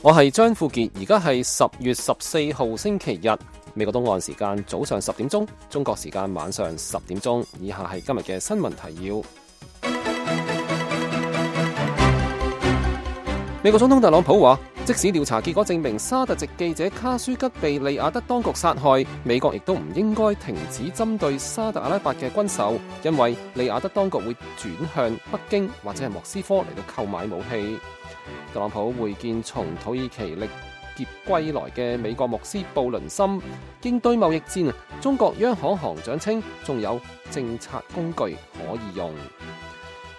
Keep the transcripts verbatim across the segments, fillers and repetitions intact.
我係張富傑，而家係十月十四號星期日，美國東岸時間早上十點鐘，中國時間晚上十點鐘。以下係今日嘅新聞提要。美國總統特朗普話，即使調查結果證明沙特籍記者卡舒吉被利雅得當局殺害，美國亦都唔應該停止針對沙特阿拉伯嘅軍售，因為利雅得當局會轉向北京或者係莫斯科嚟到購買武器。特朗普會見從土耳其歷劫歸來嘅美國牧師布倫森，應對貿易戰，中國央行行長稱仲有政策工具可以用。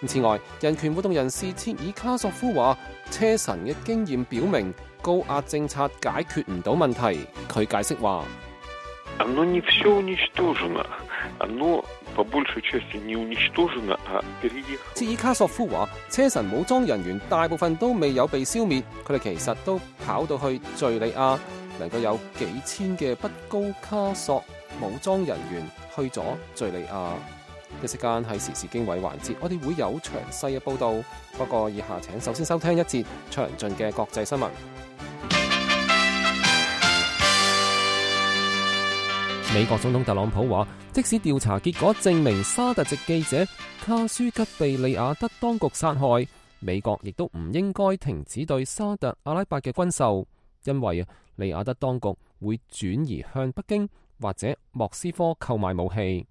此外，人權活動人士切爾卡索夫話，車臣嘅經驗表明高壓政策解決唔到問題。佢解釋話，切爾卡索夫話，車臣武裝人員大部分都未有被消滅，佢哋其實都跑到去敘利亞，能夠有幾千嘅北高卡索武裝人員去咗敘利亞。一時間係時事經緯環節，我哋會有詳細嘅報道。不過以下請首先收聽一節詳盡嘅國際新聞。美國總統特朗普話，即使調查結果證明沙特籍記者卡舒吉被利雅得當局殺害，美國亦都唔應該停止對沙特阿拉伯嘅軍售，因為利雅得當局會轉移向北京或者莫斯科購買武器。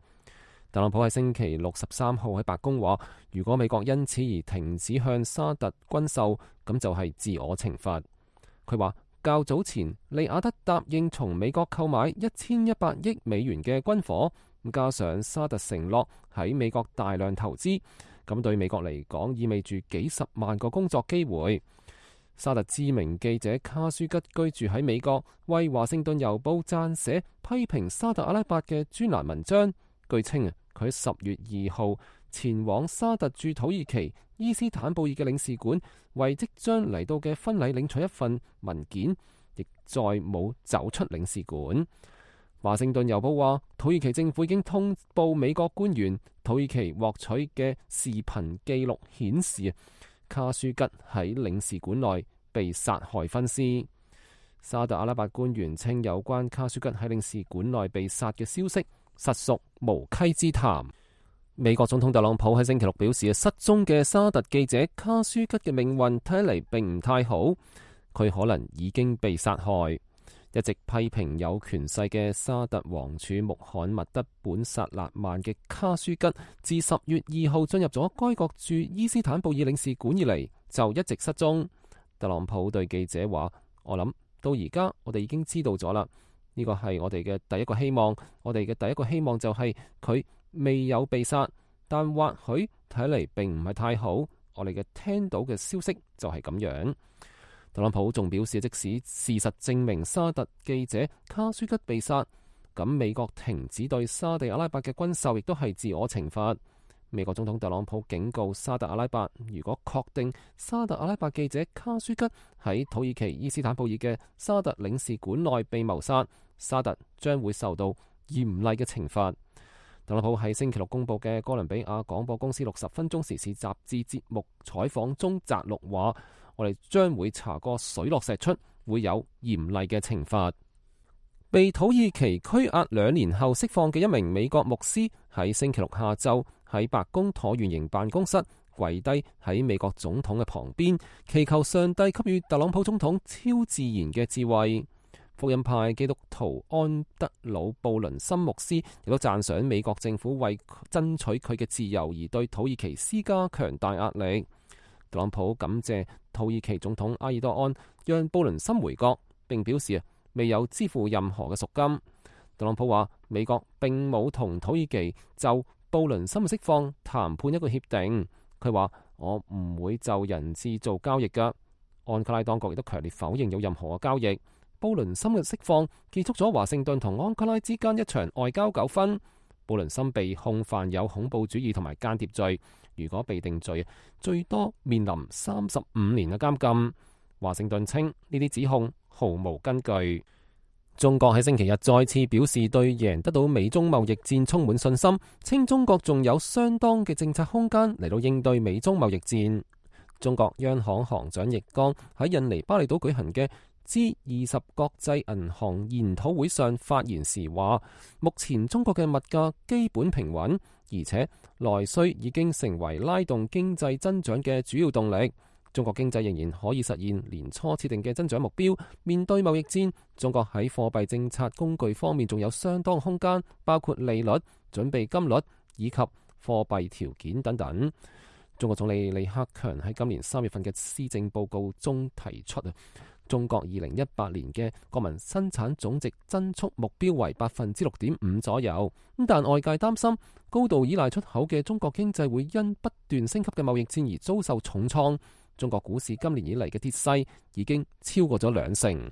特朗普喺星期六十三號喺白宮話，如果美國因此而停止向沙特軍售，咁就係自我懲罰。佢話較早前利雅得答應從美國購買一千一百億美元嘅軍火，加上沙特承諾喺美國大量投資，咁對美國嚟講意味住幾十萬個工作機會。沙特知名記者卡舒吉居住喺美國，為華盛頓郵報撰寫批評沙特阿拉伯嘅專欄文章。據稱啊，佢十月二號前往沙特駐土耳其伊斯坦布爾嘅領事館，為即將嚟到嘅婚禮領取一份文件，亦再冇走出領事館。華盛頓郵報話，土耳其政府已經通報美國官員，土耳其獲取嘅視頻記錄顯示，卡舒吉喺領事館內被殺害分屍。沙特阿拉伯官員稱，有關卡舒吉喺領事館內被殺嘅消息實屬無稽之談。美國總統特朗普喺星期六表示，失蹤嘅沙特記者卡舒吉嘅命運睇嚟並唔太好，佢可能已經被殺害。一直批評有權勢嘅沙特王儲穆罕默德本薩勒曼嘅卡舒吉，自十月二號進入咗該國駐伊斯坦布爾領事館以嚟，就一直失蹤。特朗普對記者話，我諗到而家我哋已經知道咗啦。呢個係我哋嘅第一個希望，我哋嘅第一個希望就係佢未有被殺，但或許睇嚟並唔係太好。我哋嘅聽到嘅消息就係咁樣。特朗普仲表示，即使事實證明沙特記者卡舒吉被殺，咁美國停止對沙地阿拉伯嘅軍售亦都係自我懲罰。美國總統特朗普警告沙特阿拉伯，如果確定沙特阿拉伯記者卡舒吉喺土耳其伊斯坦布爾嘅沙特領事館內被謀殺，沙特將會受到嚴厲嘅懲罰。特朗普喺星期六公佈嘅哥倫比亞廣播公司六十分鐘時事雜誌節目採訪中摘錄話，我哋將會查個水落石出，會有嚴厲嘅懲罰。被土耳其拘押兩年後釋放嘅一名美國牧師喺星期六下晝喺白宮橢圓形辦公室跪低喺美國總統嘅旁邊，祈求上帝給予特朗普總統超自然嘅智慧。福音派基督徒安德魯布倫森牧師亦都讚賞美國政府為爭取佢嘅自由而對土耳其施加強大壓力。特朗普感謝土耳其總統埃爾多安讓布倫森回國，並表示未有支付任何嘅贖金。特朗普話，美國並冇同土耳其就布倫森嘅釋放談判一個協定。佢話，我唔會就人質做交易㗎。安卡拉當局亦都強烈否認有任何嘅交易。布倫森嘅釋放結束咗華盛頓同安卡拉之間一場外交糾紛。布倫森被控犯有恐怖主義同埋間諜罪，如果被定罪，最多面臨三十五年嘅監禁。華盛頓稱呢啲指控毫無根據。中國喺星期日再次表示對贏得到美中貿易戰充滿信心，稱中國仲有相當嘅政策空間嚟到應對美中貿易戰。中國央行行長易綱喺印尼巴厘島舉行嘅 G 二十國際銀行研討會上發言時話，目前中國嘅物價基本平穩，而且內需已經成為拉動經濟增長嘅主要動力。中國經濟仍然可以實現年初設定嘅增長目標。面對貿易戰，中國喺貨幣政策工具方面仲有相當空間，包括利率、準備金率以及貨幣條件等等。中國總理李克強喺今年三月份嘅施政報告中提出啊，中國二零一八年嘅國民生產總值增速目標為百分之六點五左右。咁但外界擔心高度依賴出口嘅中國經濟會因不斷升級嘅貿易戰而遭受重創。中國股市今年以嚟嘅跌勢已經超過咗兩成。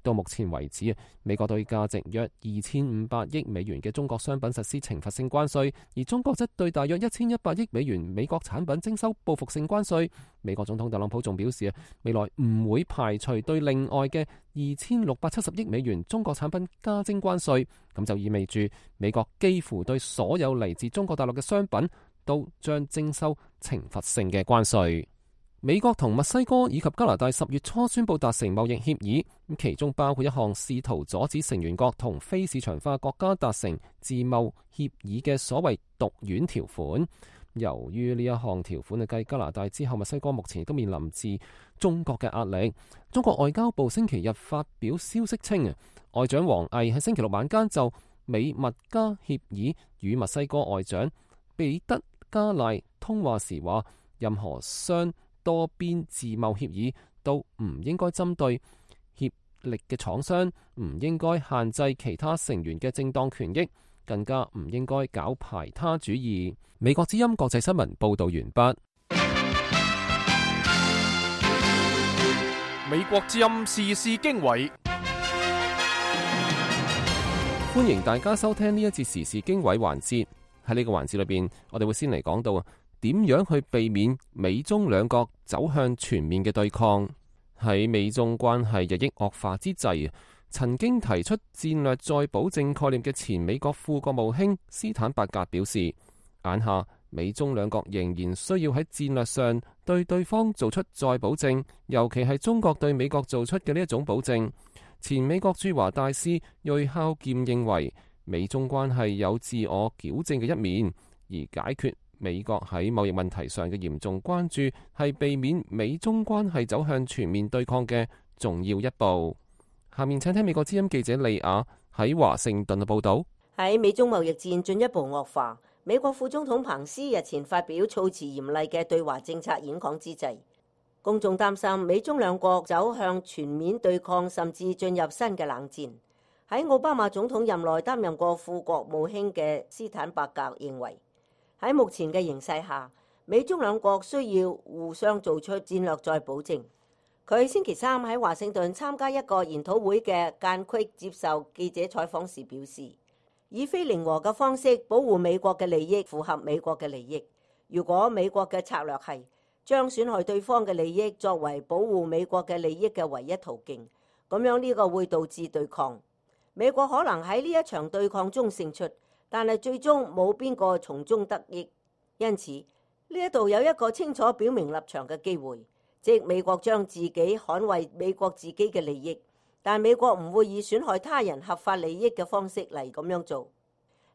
到目前為止，美國對價值約二千五百億美元嘅中國商品實施懲罰性關稅，而中國則對大約一千一百億美元美國產品徵收報復性關稅。美國總統特朗普仲表示，未來唔會排除對另外嘅二千六百七十億美元中國產品加徵關稅。咁就意味住美國幾乎對所有嚟自中國大陸嘅商品都將徵收懲罰性嘅關稅。美國同墨西哥以及加拿大十月初宣布達成貿易協議，其中包括一項試圖阻止成員國同非市場化國家達成自貿協議嘅所謂毒丸條款。由於呢一項條款係繼加拿大之後，墨西哥目前亦都面臨自中國嘅壓力。中國外交部星期日發表消息稱，外長王毅喺星期六晚間就美墨加協議與墨西哥外長彼得加賴通話時話，任何雙多邊自貿協議都唔應該針對協力嘅廠商，唔應該限制其他成員嘅正當權益，更加唔應該搞排他主義。美國之音國際新聞報道完畢。美國之音時事經緯，歡迎大家收聽呢一節時事經緯環節。喺呢個環節裏邊，我哋會先嚟講到啊，點樣去避免美中兩國走向全面嘅對抗？喺美中關係日益惡化之際，曾經提出戰略再保證概念嘅前美國副國務卿斯坦伯格表示，眼下美中兩國仍然需要喺戰略上對對方做出再保證，尤其係中國對美國做出嘅呢一種保證。前美國駐華大使瑞孝劍認為，美中關係有自我矯正嘅一面，而解決美國喺貿易問題上嘅嚴重關注係避免美中關係走向全面對抗嘅重要一步。下面請聽美國之音記者利亞喺華盛頓嘅報道。喺美中貿易戰進一步惡化，美國副總統彭斯日前發表措辭嚴厲嘅對華政策演講之際，公眾擔心美中兩國走向全面對抗，甚至進入新嘅冷戰。喺奧巴馬總統任內擔任過副國務卿嘅斯坦伯格認為，喺目前嘅形勢下，美中兩國需要互相做出戰略再保證。佢星期三喺華盛頓參加一個研討會嘅間隙接受記者採訪時表示，以非零和嘅方式保護美國嘅利益符合美國嘅利益。如果美國嘅策略係將損害對方嘅利益作為保護美國嘅利益嘅唯一途徑，咁樣呢個會導致對抗。美國可能喺呢一場對抗中勝出，但係最終冇邊個從中得益。因此呢一度有一個清楚表明立場嘅機會，即美國將自己捍衛美國自己嘅利益，但美國唔會以損害他人合法利益嘅方式嚟咁樣做。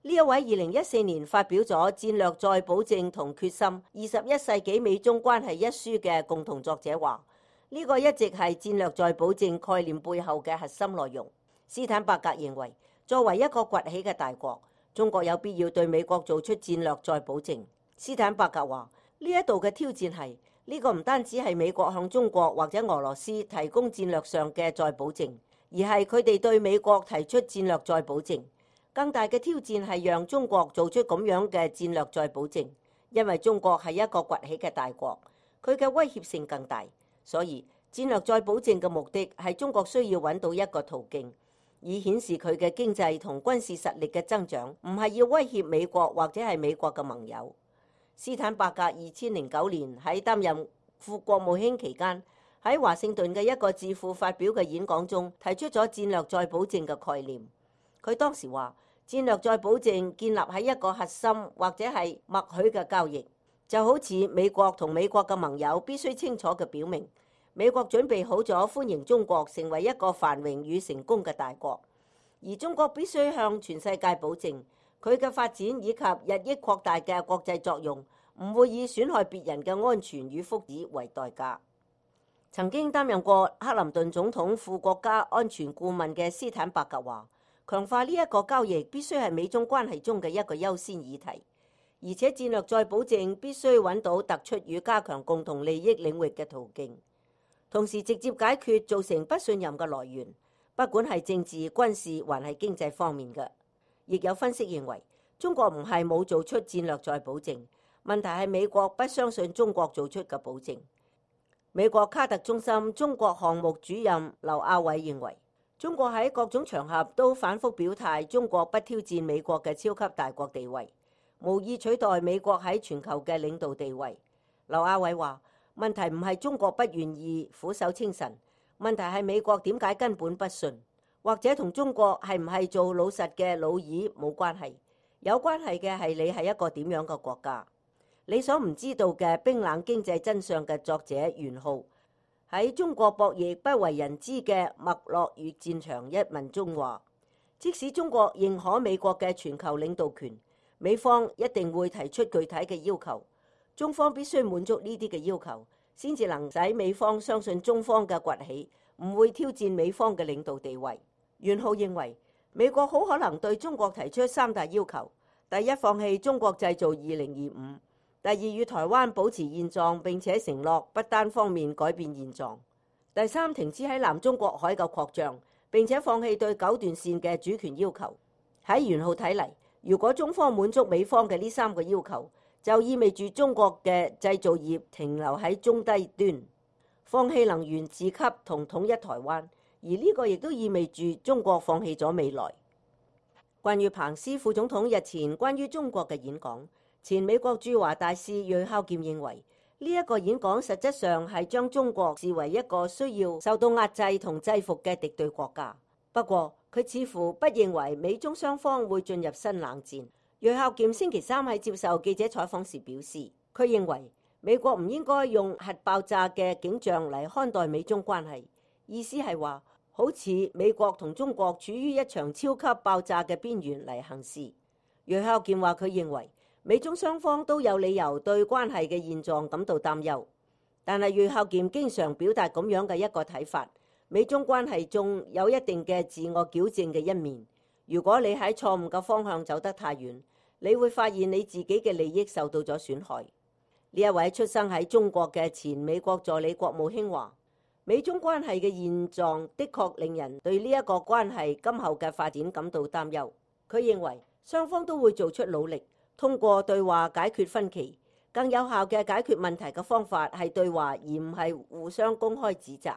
呢一位二零一四年發表咗《戰略再保證同決心：二十一世紀美中關係》一書嘅共同作者話，呢、這個一直係戰略再保證概念背後嘅核心內容。斯坦伯格認為，作為一個崛起嘅大國，中國有必要對美國做出戰略再保證。斯坦伯格話，呢一度嘅挑戰係呢、這個唔單止係美國向中國或者俄羅斯提供戰略上嘅再保證，而係佢哋對美國提出戰略再保證。更大嘅挑戰係讓中國做出咁樣嘅戰略再保證，因為中國係一個崛起嘅大國，佢嘅威脅性更大。所以戰略再保證嘅目的係中國需要揾到一個途徑，以顯示佢嘅經濟同軍事實力嘅增長，唔係要威脅美國或者係美國嘅盟友。斯坦伯格二千零九年喺擔任副國務卿期間，喺華盛頓嘅一個智庫發表嘅演講中，提出咗戰略再保證嘅概念。佢當時話，戰略再保證建立喺一個核心或者係默許嘅交易，就好似美國同美國嘅盟友必須清楚嘅表明，美國準備好咗歡迎中國成為一個繁榮與成功嘅大國，而中國必須向全世界保證佢嘅發展以及日益擴大嘅國際作用唔會以損害別人嘅安全與福祉為代價。曾經擔任過克林頓總統副國家安全顧問嘅斯坦伯格話，強化呢一個交易必須係美中關係中嘅一個優先議題，而且戰略再保證必須揾到突出與加強共同利益領域嘅途徑，同時直接解決造成不信任嘅來源，不管係政治、軍事還係經濟方面嘅。亦有分析認為，中國唔係冇做出戰略再保證，問題係美國不相信中國做出嘅保證。美國卡特中心中國項目主任劉亞偉認為，中國喺各種場合都反覆表態，中國不挑戰美國嘅超級大國地位，無意取代美國喺全球嘅領導地位。劉亞偉話，問題唔係中國不願意俯首稱臣，問題係美國點解根本不信，或者同中國係唔係做老實嘅老二冇關係，有關係嘅係你係一個點樣嘅國家。你所唔知道嘅冰冷經濟真相嘅作者袁浩喺中國博弈不為人知嘅脈絡與戰場一文中話，即使中國認可美國嘅全球領導權，美方一定會提出具體嘅要求，中方必須滿足呢啲嘅要求，先至能使美方相信中方嘅崛起唔會挑戰美方嘅領導地位。袁浩認為，美國好可能對中國提出三大要求：第一，放棄中國製造二零二五；第二，與台灣保持現狀並且承諾不單方面改變現狀；第三，停止喺南中國海嘅擴張，並且放棄對九段線嘅主權要求。喺袁浩睇嚟，如果中方滿足美方嘅呢三個要求，就意味住中國嘅製造業停留喺中低端，放棄能源自給同統一台灣，而呢個亦都意味住中國放棄咗未來。關於彭斯副總統日前關於中國嘅演講，前美國駐華大使芮孝儉認為，呢一個演講實質上係將中國視為一個需要受到壓制同制服嘅敵對國家。不過，佢似乎不認為美中雙方會進入新冷戰。芮孝儉星期三喺接受記者採訪時表示，佢認為美國唔應該用核爆炸嘅景象嚟看待美中關係，意思係話好似美國同中國處於一場超級爆炸嘅邊緣嚟行事。芮孝儉話佢認為美中雙方都有理由對關係嘅現狀感到擔憂，但係芮孝儉經常表達咁樣嘅一個睇法：美中關係中有一定嘅自我矯正嘅一面。如果你喺錯誤嘅方向走得太遠，你會發現你自己嘅利益受到咗損害。呢一位出生喺中國嘅前美國助理國務卿話，美中關係嘅現狀的確令人對呢一個關係今後嘅發展感到擔憂。佢認為雙方都會做出努力，通過對話解決分歧。更有效嘅解決問題嘅方法係對話，而唔係互相公開指責。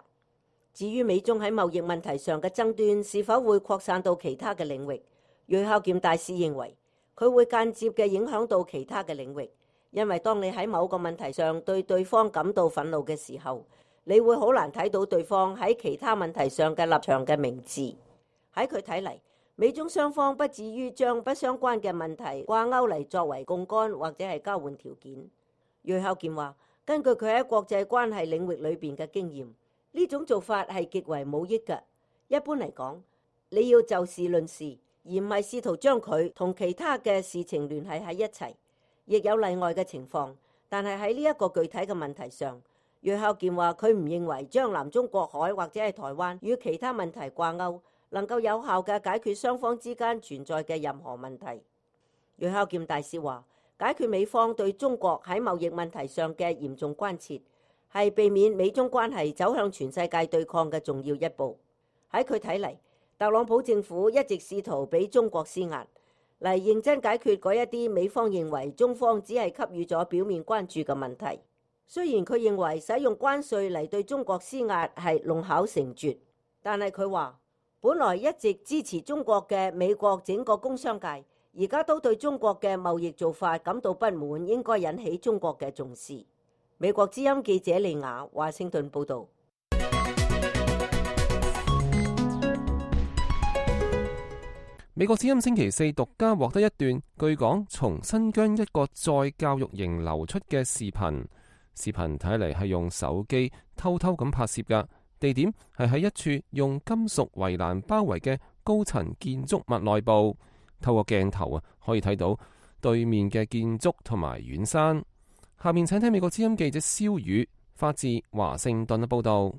至於美中喺貿易問題上嘅爭端是否會擴散到其他嘅領域，芮孝儉大使認為佢會間接嘅影響到其他嘅領域，因為當你喺某個問題上對對方感到憤怒嘅時候，你會好難睇到對方喺其他問題上嘅立場嘅明智。喺佢睇嚟，美中雙方不至於將不相關嘅問題掛鈎嚟作為槓桿或者係交換條件。芮孝儉話，根據佢喺國際關係領域裏邊嘅經驗，呢種做法係極為冇益嘅。一般嚟講，你要就事論事，而唔係試圖將佢同其他嘅事情聯繫喺一齊。亦有例外嘅情況，但係喺呢一個具體嘅問題上，芮孝儉話佢唔認為將南中國海或者係台灣與其他問題掛鈎能夠有效嘅解決雙方之間存在嘅任何問題。芮孝儉大使話，解決美方對中國喺貿易問題上嘅嚴重關切，係避免美中關係走向全世界對抗嘅重要一步。喺佢睇嚟，特朗普政府一直試圖俾中國施壓，嚟認真解決嗰一啲美方認為中方只係給予咗表面關注嘅問題。雖然佢認為使用關稅嚟對中國施壓係弄巧成拙，但係佢話，本來一直支持中國嘅美國整個工商界，而家都對中國嘅貿易做法感到不滿，應該引起中國嘅重視。美國之音記者利雅華盛頓報道。美國之音星期四獨家獲得一段據講從新疆一個再教育營流出嘅視頻，視頻睇嚟係用手機偷偷咁拍攝㗎，地點係喺一處用金屬圍欄包圍嘅高層建築物內部。透過鏡頭啊，可以睇到對面嘅建築同埋遠山。下面請聽美國之音記者蕭宇發自華盛頓嘅報道。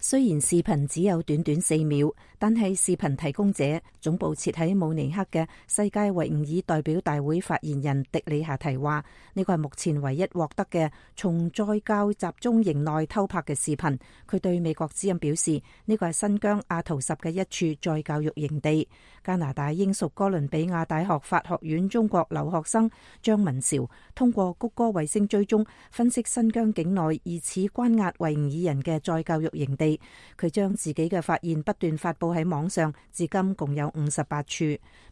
雖然視頻只有短短四秒，但係視頻提供者總部設喺慕尼黑嘅世界維吾爾代表大會發言人迪里夏提話：呢個係目前唯一獲得嘅從再教集中營內偷拍嘅視頻。佢對美國之音表示，呢個係新疆阿圖什嘅一處再教育營地。加拿大英屬哥倫比亞大學法學院中國留學生張文韶通過谷歌衛星追蹤分析新疆境內疑似關押維吾爾人嘅再教育營地。佢將自己嘅發現不斷發佈喺網上，至今共有五十八處。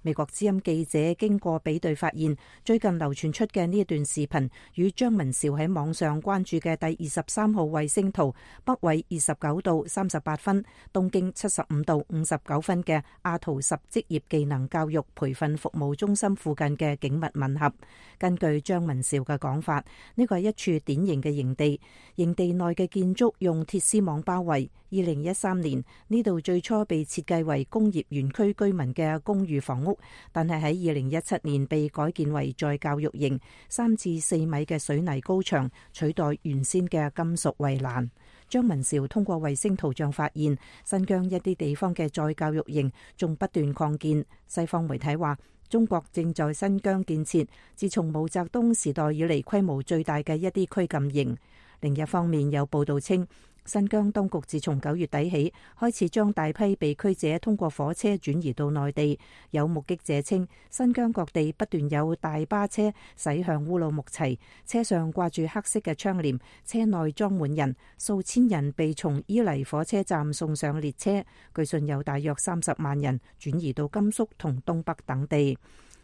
美國之音記者經過比對發現，最近流傳出嘅呢一段視頻與張文韶喺網上關注嘅第二十三號衛星圖北緯二十九度三十八分、東經七十五度五十九分嘅阿圖什職業技能教育培訓服務中心附近嘅景物吻合。根據張文韶嘅講法，呢個係一處典型嘅營地，營地內嘅建築用鐵絲網包圍。二零一三年呢度最初被設計為工業園區居民嘅公寓房屋，但係喺二零一七年被改建為再教育營，三至四米嘅水泥高牆取代原先嘅金屬圍欄。張文韶通過衛星圖像發現，新疆一啲地方嘅再教育營仲不斷擴建。西方媒體話，中國正在新疆建設自從毛澤東時代以嚟規模最大嘅一啲拘禁營。另一方面，有報道稱，新疆當局自從九月底起開始將大批被拘者通過火車轉移到內地。有目擊者稱，新疆各地不斷有大巴車駛向烏魯木齊，車上掛住黑色嘅窗簾，車內裝滿人，數千人被從伊犁火車站送上列車。據信有大約三十萬人轉移到甘肅同東北等地。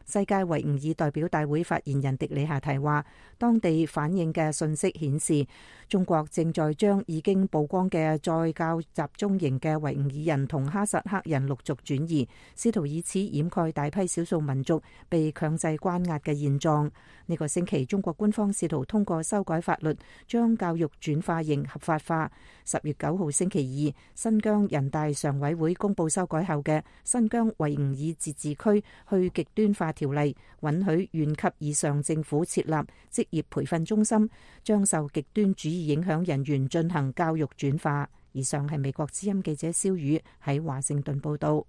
世界維吾爾代表大會發言人迪里夏提話，當地反映嘅信息顯示，中國正在將已經曝光嘅再教集中營嘅維吾爾人同哈薩克人陸續轉移，試圖以此掩蓋大批少數民族被強制關押嘅現狀。呢個星期，中國官方試圖通過修改法律，將教育轉化營合法化。十月九號星期二，新疆人大常委會公布修改後嘅新疆維吾爾自治區去極端化條例，允許縣級以上政府設立職業培訓中心，將受極端主義影響人員進行教育轉化。以上係美國之音記者蕭宇喺華盛頓報道。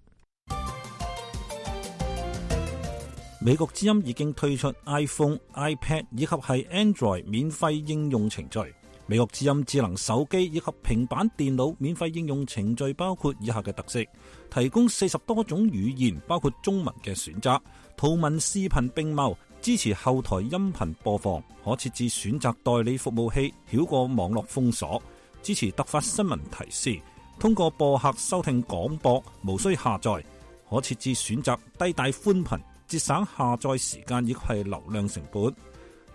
美國之音已經推出 iPhone、iPad 以及係 Android 免費應用程序。美國之音智能手機以及平板電腦免費應用程序包括以下嘅特色：提供四十多種語言，包括中文嘅選擇，圖文視頻並茂，支持後台音頻播放，可設置選擇代理服務器，繞過網絡封鎖，支持突發新聞提示，通過播客收聽廣播，無需下載，可設置選擇低帶寬頻，節省下載時間亦係流量成本。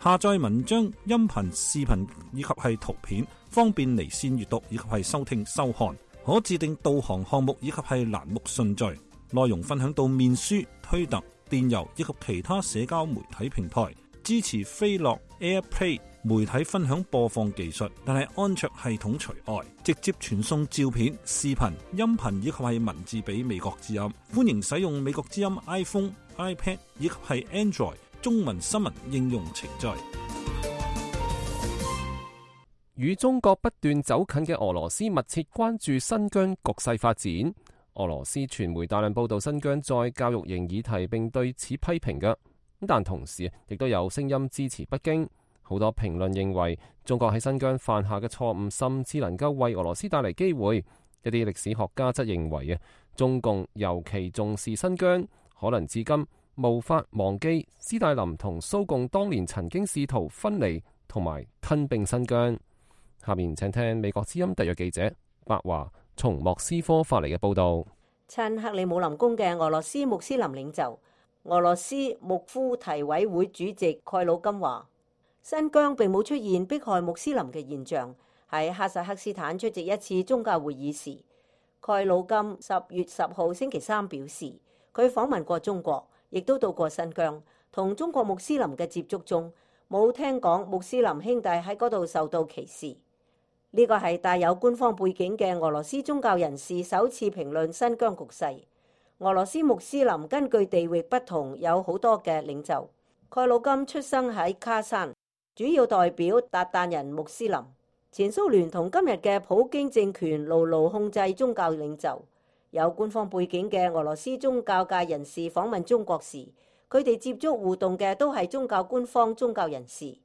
下載文章、音頻、視頻以及係圖片，方便離線閱讀以及係收聽收看。可自定導航項目以及係欄目順序。內容分享到面書、推特、電郵以及其他社交媒體平台。支持飛樂 AirPlay 媒體分享播放技術，但係安卓系統除外。直接傳送照片、視頻、音頻以及係文字俾美國之音。歡迎使用美國之音 iPhone、iPad 以及係 Android中文新聞應用程序。與中國不斷走近嘅俄羅斯密切關注新疆局勢發展。俄羅斯傳媒大量報道新疆再教育營議題，並對此批評嘅。但同時亦都有聲音支持北京。好多評論認為，中國喺新疆犯下嘅錯誤，甚至能夠為俄羅斯帶嚟機會。一啲歷史學家則認為啊，中共尤其重視新疆，可能至今無法忘記斯大林同蘇共當年曾經試圖分離同埋吞併新疆。下面請聽美國之音特約記者白華從莫斯科發嚟嘅報道。親克里姆林宮嘅俄羅斯穆斯林領袖、俄羅斯穆夫提委會主席蓋魯金話，新疆並冇出現迫害穆斯林嘅現象。喺哈薩克斯坦出席一次宗教會議時，蓋魯金十月十號星期三表示，佢訪問過中國，亦都到過新疆，同中國穆斯林嘅接觸中，冇聽講穆斯林兄弟喺嗰度受到歧視。呢個係帶有官方背景嘅俄羅斯宗教人士首次評論新疆局勢。俄羅斯穆斯林根據地域不同有好多嘅領袖。蓋魯金出生喺卡山，主要代表韃靼人穆斯林。前蘇聯同今日嘅普京政權牢牢控制宗教領袖。有官方背景嘅俄羅斯宗教界人士訪問中國時，佢哋接觸互動嘅都係宗教官方宗教人士。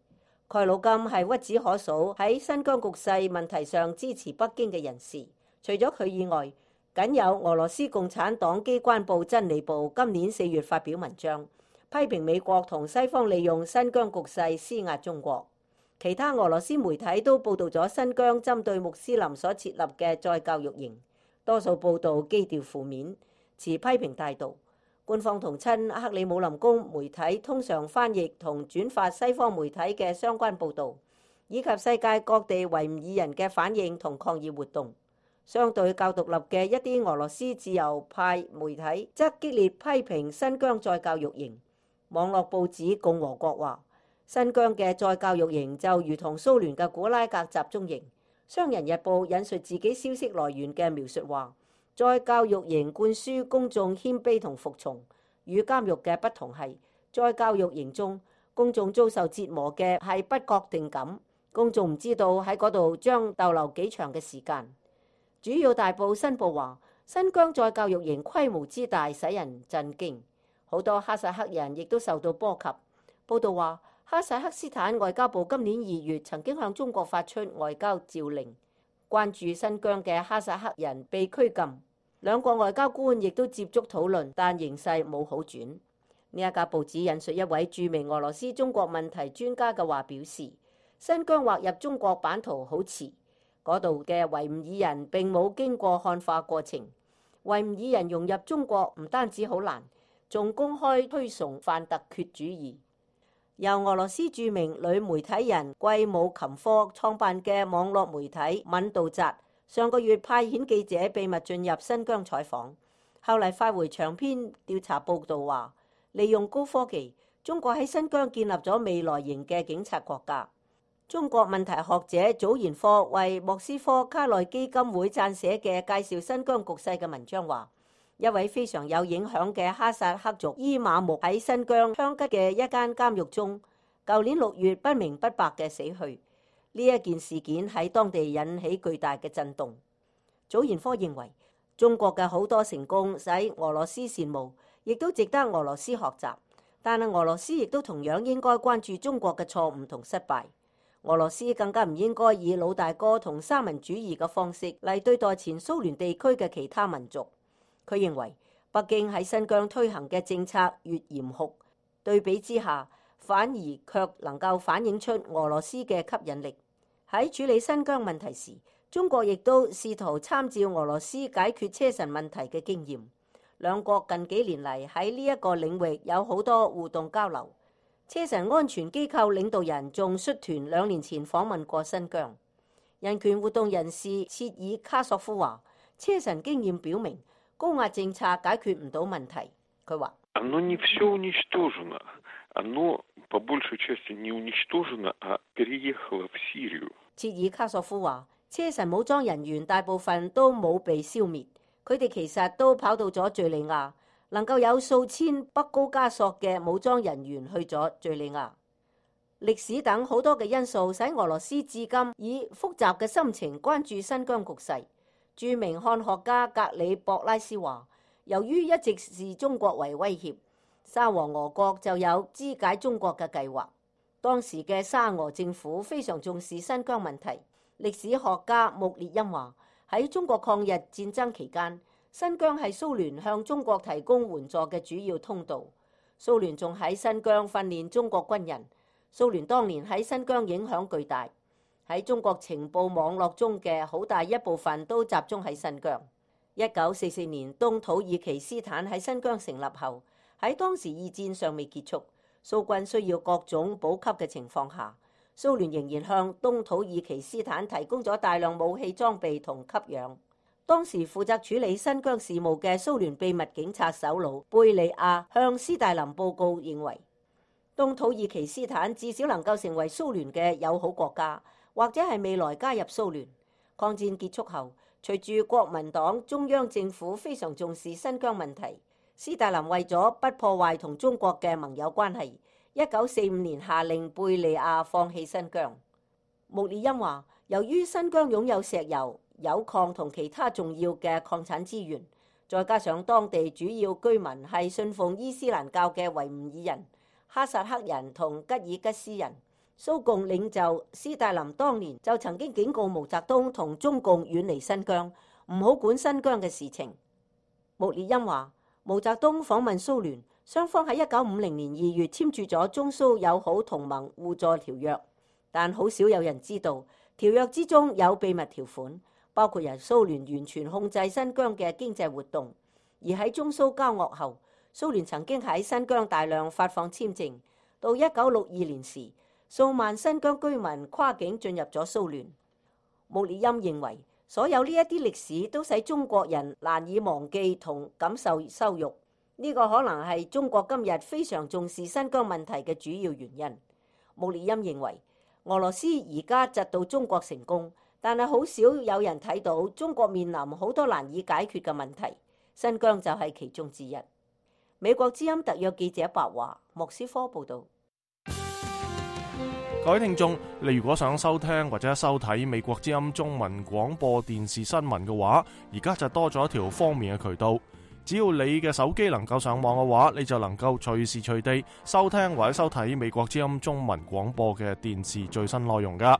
蓋魯金係屈指可數喺新疆局勢問題上支持北京嘅人士。除咗佢以外，僅有俄羅斯共產黨機關報真理報今年四月發表文章，批評美國同西方利用新疆局勢施壓中國。其他俄羅斯媒體都報導咗新疆針對穆斯林所設立嘅再教育營，多數報導基調負面，持批評態度。官方同親克里姆林宮媒體通常翻譯同轉發西方媒體嘅相關報導，以及世界各地維吾爾人嘅反應同抗議活動。相對較獨立嘅一啲俄羅斯自由派媒體則激烈批評新疆再教育營。網絡報紙共和國話，新疆嘅再教育營就如同蘇聯嘅古拉格集中營。商人日報引述自己消息來源嘅描述話，再教育營灌輸公眾謙卑同服從，與監獄嘅不同係，在教育營中，公眾遭受折磨嘅係不確定感，公眾唔知道喺嗰度將逗留幾長嘅時間。主要大報新報話，新疆再教育營規模之大使人震驚，好多哈薩克人亦都受到波及。報道話，哈薩克斯坦外交部今年二月曾經向中國發出外交召令，關注新疆嘅哈薩克人被拘禁。兩國外交官亦都接觸討論，但形勢冇好轉。呢一家報紙引述一位著名俄羅斯中國問題專家嘅話表示，新疆劃入中國版圖好遲，嗰度嘅維吾爾人並冇經過漢化過程。維吾爾人融入中國唔單止好難，仲公開推崇泛突厥主義。由俄羅斯著名女媒體人季姆琴科創辦嘅網絡媒體敏道扎，上個月派遣記者秘密進入新疆採訪，後嚟發回長篇調查報導話，利用高科技，中國喺新疆建立咗未來型嘅警察國家。中國問題學者祖賢科為莫斯科卡內基金會撰寫嘅介紹新疆局勢嘅文章話，一位非常有影響嘅哈薩克族伊瑪目喺新疆香吉嘅一間監獄中，舊年六月不明不白嘅死去。呢一件事件喺當地引起巨大嘅震動。祖賢科認為，中國嘅好多成功使俄羅斯羨慕，亦都值得俄羅斯學習。但係俄羅斯亦都同樣應該關注中國嘅錯誤同失敗。俄羅斯更加唔應該以老大哥同三民主義嘅方式嚟對待前蘇聯地區嘅其他民族。佢認為，北京喺新疆推行嘅政策越嚴酷，對比之下，反而卻能夠反映出俄羅斯嘅吸引力。喺處理新疆問題時，中國亦都試圖參照俄羅斯解決車臣問題嘅經驗。兩國近幾年嚟喺呢一個領域有好多互動交流。車臣安全機構領導人仲率團兩年前訪問過新疆。人權活動人士切爾卡索夫話，車臣經驗表明高壓政策解決唔到問題。佢話，切爾卡索夫話，車臣武裝人員大部分都冇被消滅，佢哋其實都跑到咗敘利亞，能夠有數千北高加索嘅武裝人員去咗敘利亞。歷史等好多嘅因素使俄羅斯至今以複雜嘅心情關注新疆局勢。著名漢學家格里博拉斯話，由於一直視中國為威脅，沙皇俄國就有肢解中國嘅計劃。當時嘅沙俄政府非常重視新疆問題。歷史學家穆列因話，喺中國抗日戰爭期間，新疆係蘇聯向中國提供援助嘅主要通道。蘇聯仲喺新疆訓練中國軍人。蘇聯當年喺新疆影響巨大，喺中國情報網絡中嘅好大一部分都集中喺新疆。一九四四年東土耳其斯坦喺新疆成立後，喺當時二戰尚未結束，蘇軍需要各種補給嘅情況下，蘇聯仍然向東土耳其斯坦提供咗大量武器裝備同給養。當時負責處理新疆事務嘅蘇聯秘密警察首腦貝利亞向斯大林報告，認為東土耳其斯坦至少能夠成為蘇聯嘅友好國家，或者係未來加入蘇聯。抗戰結束後，隨住國民黨中央政府非常重視新疆問題，斯大林為咗不破壞同中國嘅盟友關係，一九四五年下令貝利亞放棄新疆。穆列因話，由於新疆擁有石油、鈾礦同其他重要嘅礦產資源，再加上當地主要居民係信奉伊斯蘭教嘅維吾爾人、哈薩克人同吉爾吉斯人，蘇共領袖斯大林當年就曾經警告毛澤東同中共遠離新疆，唔好管新疆嘅事情。穆列因話，毛澤東訪問蘇聯，雙方喺一九五零年二月簽署咗中蘇友好同盟互助條約，但好少有人知道條約之中有秘密條款，包括由蘇聯完全控制新疆嘅經濟活動。而喺中蘇交惡後，蘇聯曾經喺新疆大量發放簽證。到一九六二年時，數萬新疆居民跨境進入咗蘇聯。穆列因認為，所有呢一啲歷史都使中國人難以忘記同感受羞辱。呢個可能係中國今日非常重視新疆問題嘅主要原因。穆列因認為，俄羅斯而家窒到中國成功，但係好少有人睇到中國面臨好多難以解決嘅問題，新疆就係其中之一。美國之音特約記者白華，莫斯科報道。各位聽眾，你如果想收聽或者收睇美國之音中文廣播電視新聞嘅話，而家就多咗一條方便嘅渠道。只要你嘅手機能夠上網嘅話，你就能夠隨時隨地收聽或者收睇美國之音中文廣播嘅電視最新內容噶。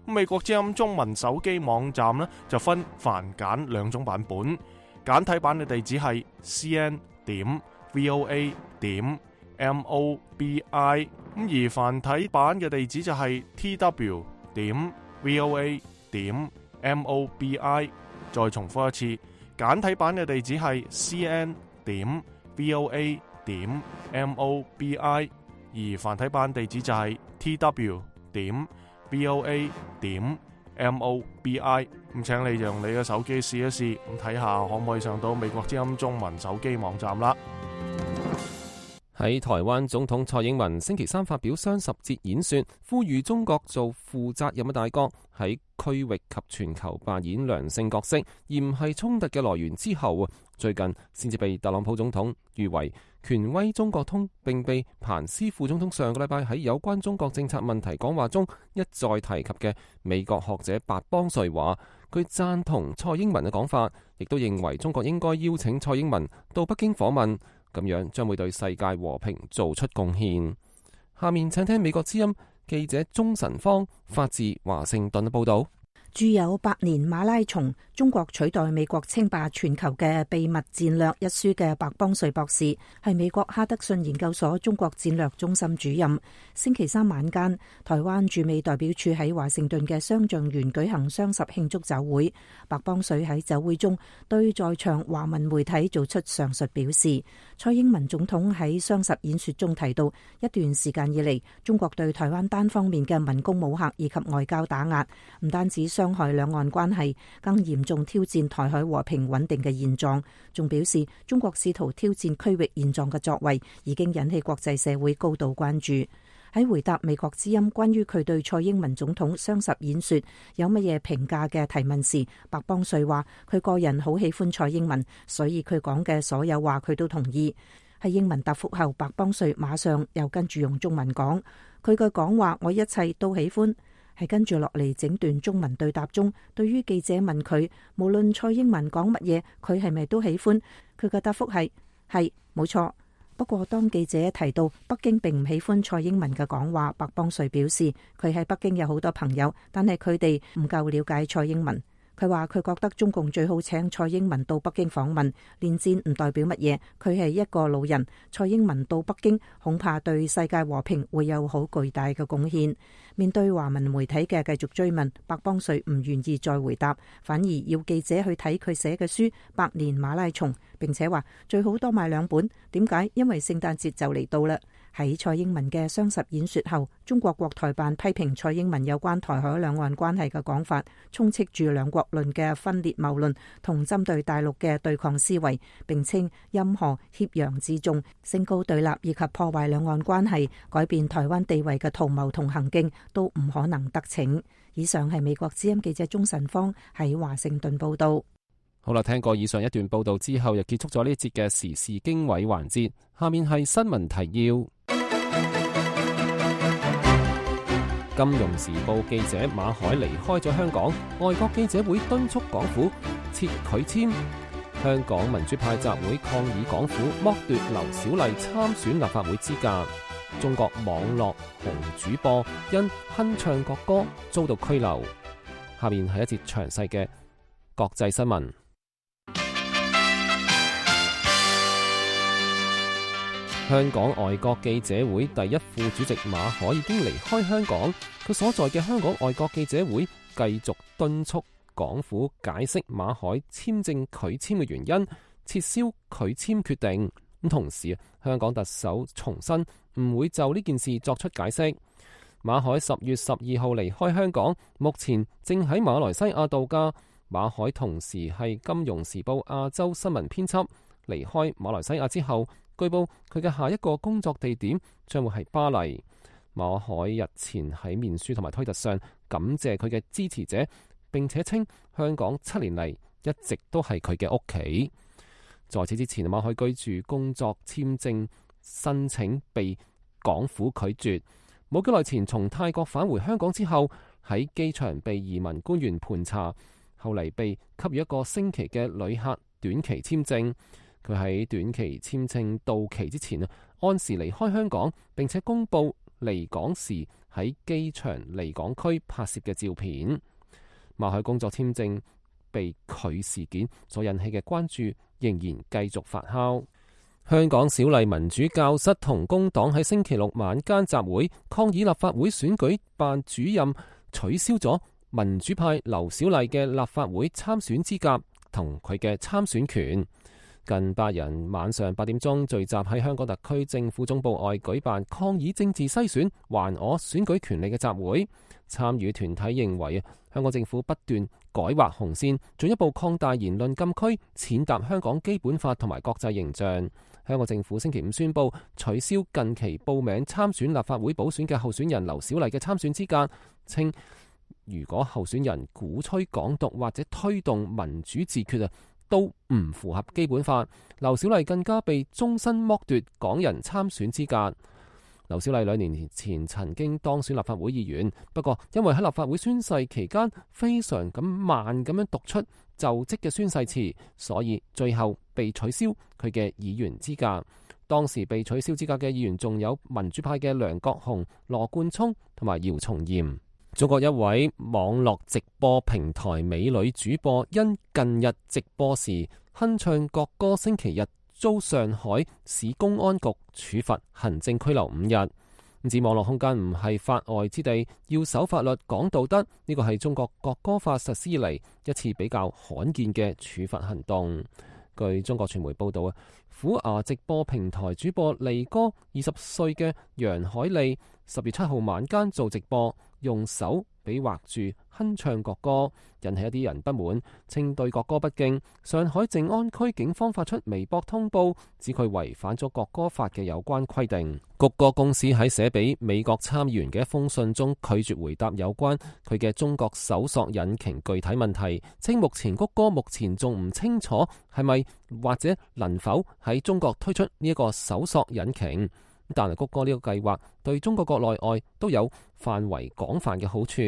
美國之音中文手機網站呢，就分繁簡兩種版本，簡體版嘅地址係 c n 點 v o a 點 m o b i， 咁而繁體版嘅地址就係 t w 點 v o a 點 m o b i。 再重複一次，簡體版嘅地址係 c n 點 v o a 點 m o b i， 而繁體版地址就係 t w 點 v o a 點 m o b i。 咁請你用你嘅手機試一試，咁睇下可唔可以上到美國之音中文手機網站啦。喺台灣總統蔡英文星期三發表雙十節演說，呼籲中國做負責任嘅大國，喺區域及全球扮演良性角色，而唔係衝突嘅來源之後，最近先至被特朗普總統譽為權威中國通，並被彭斯副總統上個禮拜喺有關中國政策問題講話中一再提及嘅美國學者白邦瑞話，佢贊同蔡英文嘅講法，亦都認為中國應該邀請蔡英文到北京訪問，咁樣將會對世界和平做出貢獻。下面請聽美國之音記者鍾晨芳發自華盛頓嘅報道。著有《百年馬拉松：中國取代美國稱霸全球嘅秘密戰略》一書嘅白邦瑞博士係美國哈德遜研究所中國戰略中心主任。星期三晚間，台灣駐美代表處喺華盛頓嘅雙橡園舉行雙十慶祝酒會。白邦瑞喺酒會中對在場華文媒體做出上述表示。蔡英文總統喺雙十演說中提到，一段時間以嚟，中國對台灣單方面嘅文攻武嚇以及外交打壓，唔單止傷害兩岸關係，更嚴重挑戰台海和平穩定嘅現狀。仲表示，中國試圖挑戰區域現狀嘅作為，已經引起國際社會高度關注。喺回答美國之音關於佢對蔡英文總統雙十演說有乜嘢評價嘅提問時，白邦瑞話佢個人好喜歡蔡英文，所以佢講嘅所有話佢都同意。喺英文答覆後，白邦瑞馬上又跟住用中文講，佢嘅講話我一切都喜歡。係跟住落嚟整段中文對答中，對於記者問佢無論蔡英文講乜嘢，佢係咪都喜歡？佢嘅答覆係係冇錯。不過當記者提到北京並唔喜歡蔡英文嘅講話，白邦瑞表示佢喺北京有好多朋友，但係佢哋唔夠了解蔡英文。佢話佢覺得中共最好請蔡英文到北京訪問，連戰唔代表乜嘢，佢係一個老人，蔡英文到北京恐怕對世界和平會有好巨大嘅貢獻。面對華文媒體嘅繼續追問，白邦瑞唔願意再回答，反而要記者去睇佢寫嘅書《百年馬拉松》，並且話最好多買兩本。點解？因為聖誕節就嚟到啦。喺蔡英文嘅雙十演說後，中國國台辦批評蔡英文有關台海兩岸關係嘅講法，充斥住兩國論嘅分裂謬論同針對大陸嘅對抗思維，並稱任何挾洋自重、升高對立以及破壞兩岸關係、改變台灣地位嘅圖謀同行徑都唔可能得逞。以上係美國之音記者鍾晨芳喺華盛頓報道。好啦，聽過以上一段報道之後，又結束咗呢一節嘅時事經緯環節。下面係新聞提要。金融時報記者馬海離開咗香港，外國記者會敦促港府撤拒簽。香港民主派集會抗議港府剝奪劉小麗參選立法會資格。中國網絡紅主播因哼唱國歌遭到拘留。下面係一節詳細嘅國際新聞。香港外國記者會第一副主席馬海已經離開香港，佢所在嘅香港外國記者會繼續敦促港府解釋馬海簽證拒簽嘅原因，撤銷拒簽決定。咁同時，香港特首重申唔會就呢件事作出解釋。馬海十月十二號離開香港，目前正喺馬來西亞度假。馬海同時係《金融時報》亞洲新聞編輯。離開馬來西亞之後，據報佢嘅下一個工作地點將會係巴黎。馬海日前喺面書同埋推特上感謝佢嘅支持者，並且稱香港七年嚟一直都係佢嘅屋企。在此之前，馬海居住工作簽證申請被港府拒絕。冇幾耐前從泰國返回香港之後，喺機場被移民官員盤查，後嚟被給予一個星期嘅旅客短期簽證。佢喺短期簽證到期之前啊，按時離開香港，並且公佈離港時喺機場離港區拍攝嘅照片。馬海工作簽證被拒事件所引起嘅關注仍然繼續發酵。香港小麗民主教室同工黨喺星期六晚間集會抗議立法會選舉辦主任取消咗民主派劉小麗嘅立法會參選資格同佢嘅參選權。近百人晚上八點鐘聚集喺香港特區政府總部外舉辦抗議政治篩選還我選舉權利嘅集會。參與團體認為香港政府不斷改劃紅線，進一步擴大言論禁區，踐踏香港基本法同埋國際形象。香港政府星期五宣布取消近期報名參選立法會補選嘅候選人劉小麗嘅參選資格，稱如果候選人鼓吹港獨或者推動民主自決啊，都唔符合基本法。劉小麗更加被終身剝奪港人參選資格。劉小麗兩年前曾經當選立法會議員，不過因為喺立法會宣誓期間非常咁慢咁樣讀出就職嘅宣誓詞，所以最後被取消佢嘅議員資格。當時被取消資格嘅議員仲有民主派嘅梁國雄、羅冠聰同埋姚松炎。中國一位網絡直播平台美女主播因近日直播時哼唱國歌，星期日遭上海市公安局處罰行政拘留五日。指網絡空間唔係法外之地，要守法律講道德，呢個係中國國歌法實施以嚟一次比較罕見嘅處罰行動。據中國傳媒報道啊，虎牙直播平台主播利哥二十歲嘅楊海利十月七號晚間做直播，用手比劃住哼唱國歌，引起一啲人不滿，稱對國歌不敬。上海靜安區警方發出微博通報，指佢違反咗國歌法嘅有關規定。谷歌公司喺寫俾美國參議員嘅一封信中拒絕回答有關佢嘅中國搜索引擎具體問題，稱目前谷歌目前仲唔清楚係咪或者能否喺中國推出呢一個搜索引擎。但係谷歌呢個計劃對中國國內外都有範圍廣泛嘅好處。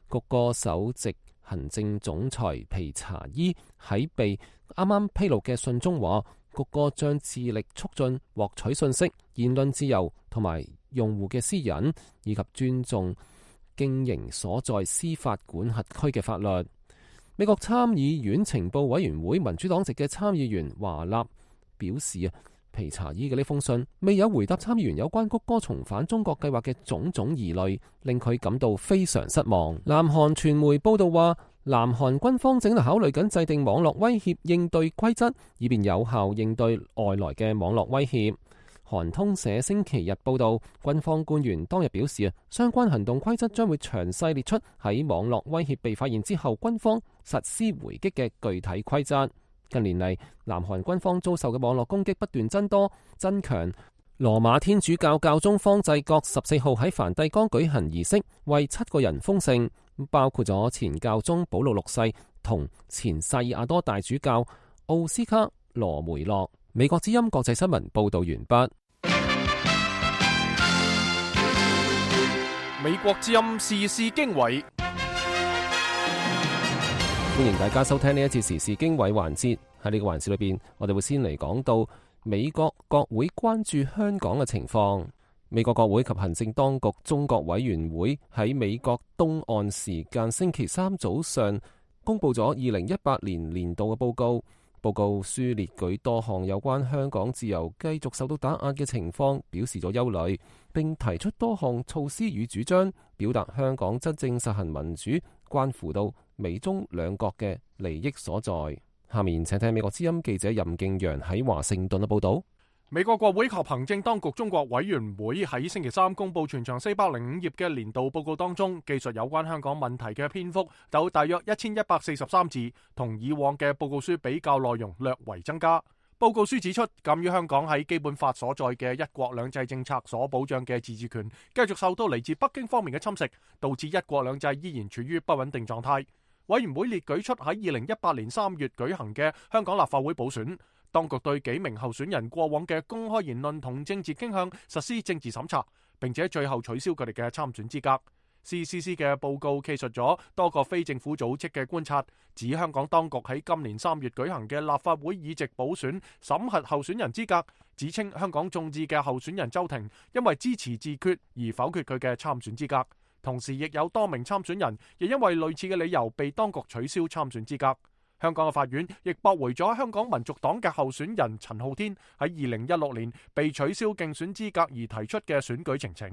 谷歌首席行政總裁皮查伊喺被啱啱披露嘅信中話，谷歌將致力促進獲取信息、言論自由同埋用戶嘅私隱，以及尊重經營所在司法管轄區嘅法律。美國參議院情報委員會民主黨籍嘅參議員華納表示啊，皮查伊嘅呢封信未有回答參議員有關谷歌重返中國計劃嘅種種疑慮，令佢感到非常失望。南韓傳媒報道話，南韓軍方正在考慮緊制定網絡威脅應對規則，以便有效應對外來嘅網絡威脅。韓通社星期日報道，軍方官員當日表示啊，相關行動規則將會詳細列出喺網絡威脅被發現之後，軍方實施回擊嘅具體規則。近年嚟，南韓軍方遭受嘅網絡攻擊不斷增多增強。羅馬天主教教宗方濟各十四號喺梵蒂岡舉行儀式，為七個人封聖，包括咗前教宗保祿六世同前薩爾瓦多大主教奧斯卡羅梅洛。美國之音國際新聞報道完畢。美國之音時事經緯，歡迎大家收聽呢一次時事經緯環節。喺呢個環節裏邊，我哋會先嚟講到美國國會關注香港嘅情況。美國國會及行政當局中國委員會喺美國東岸時間星期三早上公布咗二零一八年年度嘅報告。報告書列舉多項有關香港自由繼續受到打壓嘅情況，表示咗憂慮，並提出多項措施與主張，表達香港真正實行民主關乎到美中兩國嘅利益所在。下面請聽美國之音記者任敬陽喺華盛頓嘅報道。美國國會及行政當局中國委員會喺星期三公布全長四百零五頁嘅年度報告當中，記述有關香港問題嘅篇幅有大約一千一百四十三字，同以往嘅報告書比較內容略為增加。報告書指出，鑒於香港喺基本法所在嘅一國兩制政策所保障嘅自治權繼續受到嚟自北京方面嘅侵蝕，導致一國兩制依然處於不穩定狀態。委員會列舉出喺二零一八年三月舉行嘅香港立法會補選，當局對幾名候選人過往嘅公開言論同政治傾向實施政治審查，並且最後取消佢哋嘅參選資格。C C C 嘅報告記述咗多個非政府組織嘅觀察，指香港當局喺今年三月舉行嘅立法會議席補選審核候選人資格，指稱香港眾志嘅候選人周庭因為支持自決而否決佢嘅參選資格。同時，亦有多名參選人亦因為類似嘅理由被當局取消參選資格。香港嘅法院亦駁回咗香港民族黨嘅候選人陳浩天喺二零一六年被取消競選資格而提出嘅選舉呈請。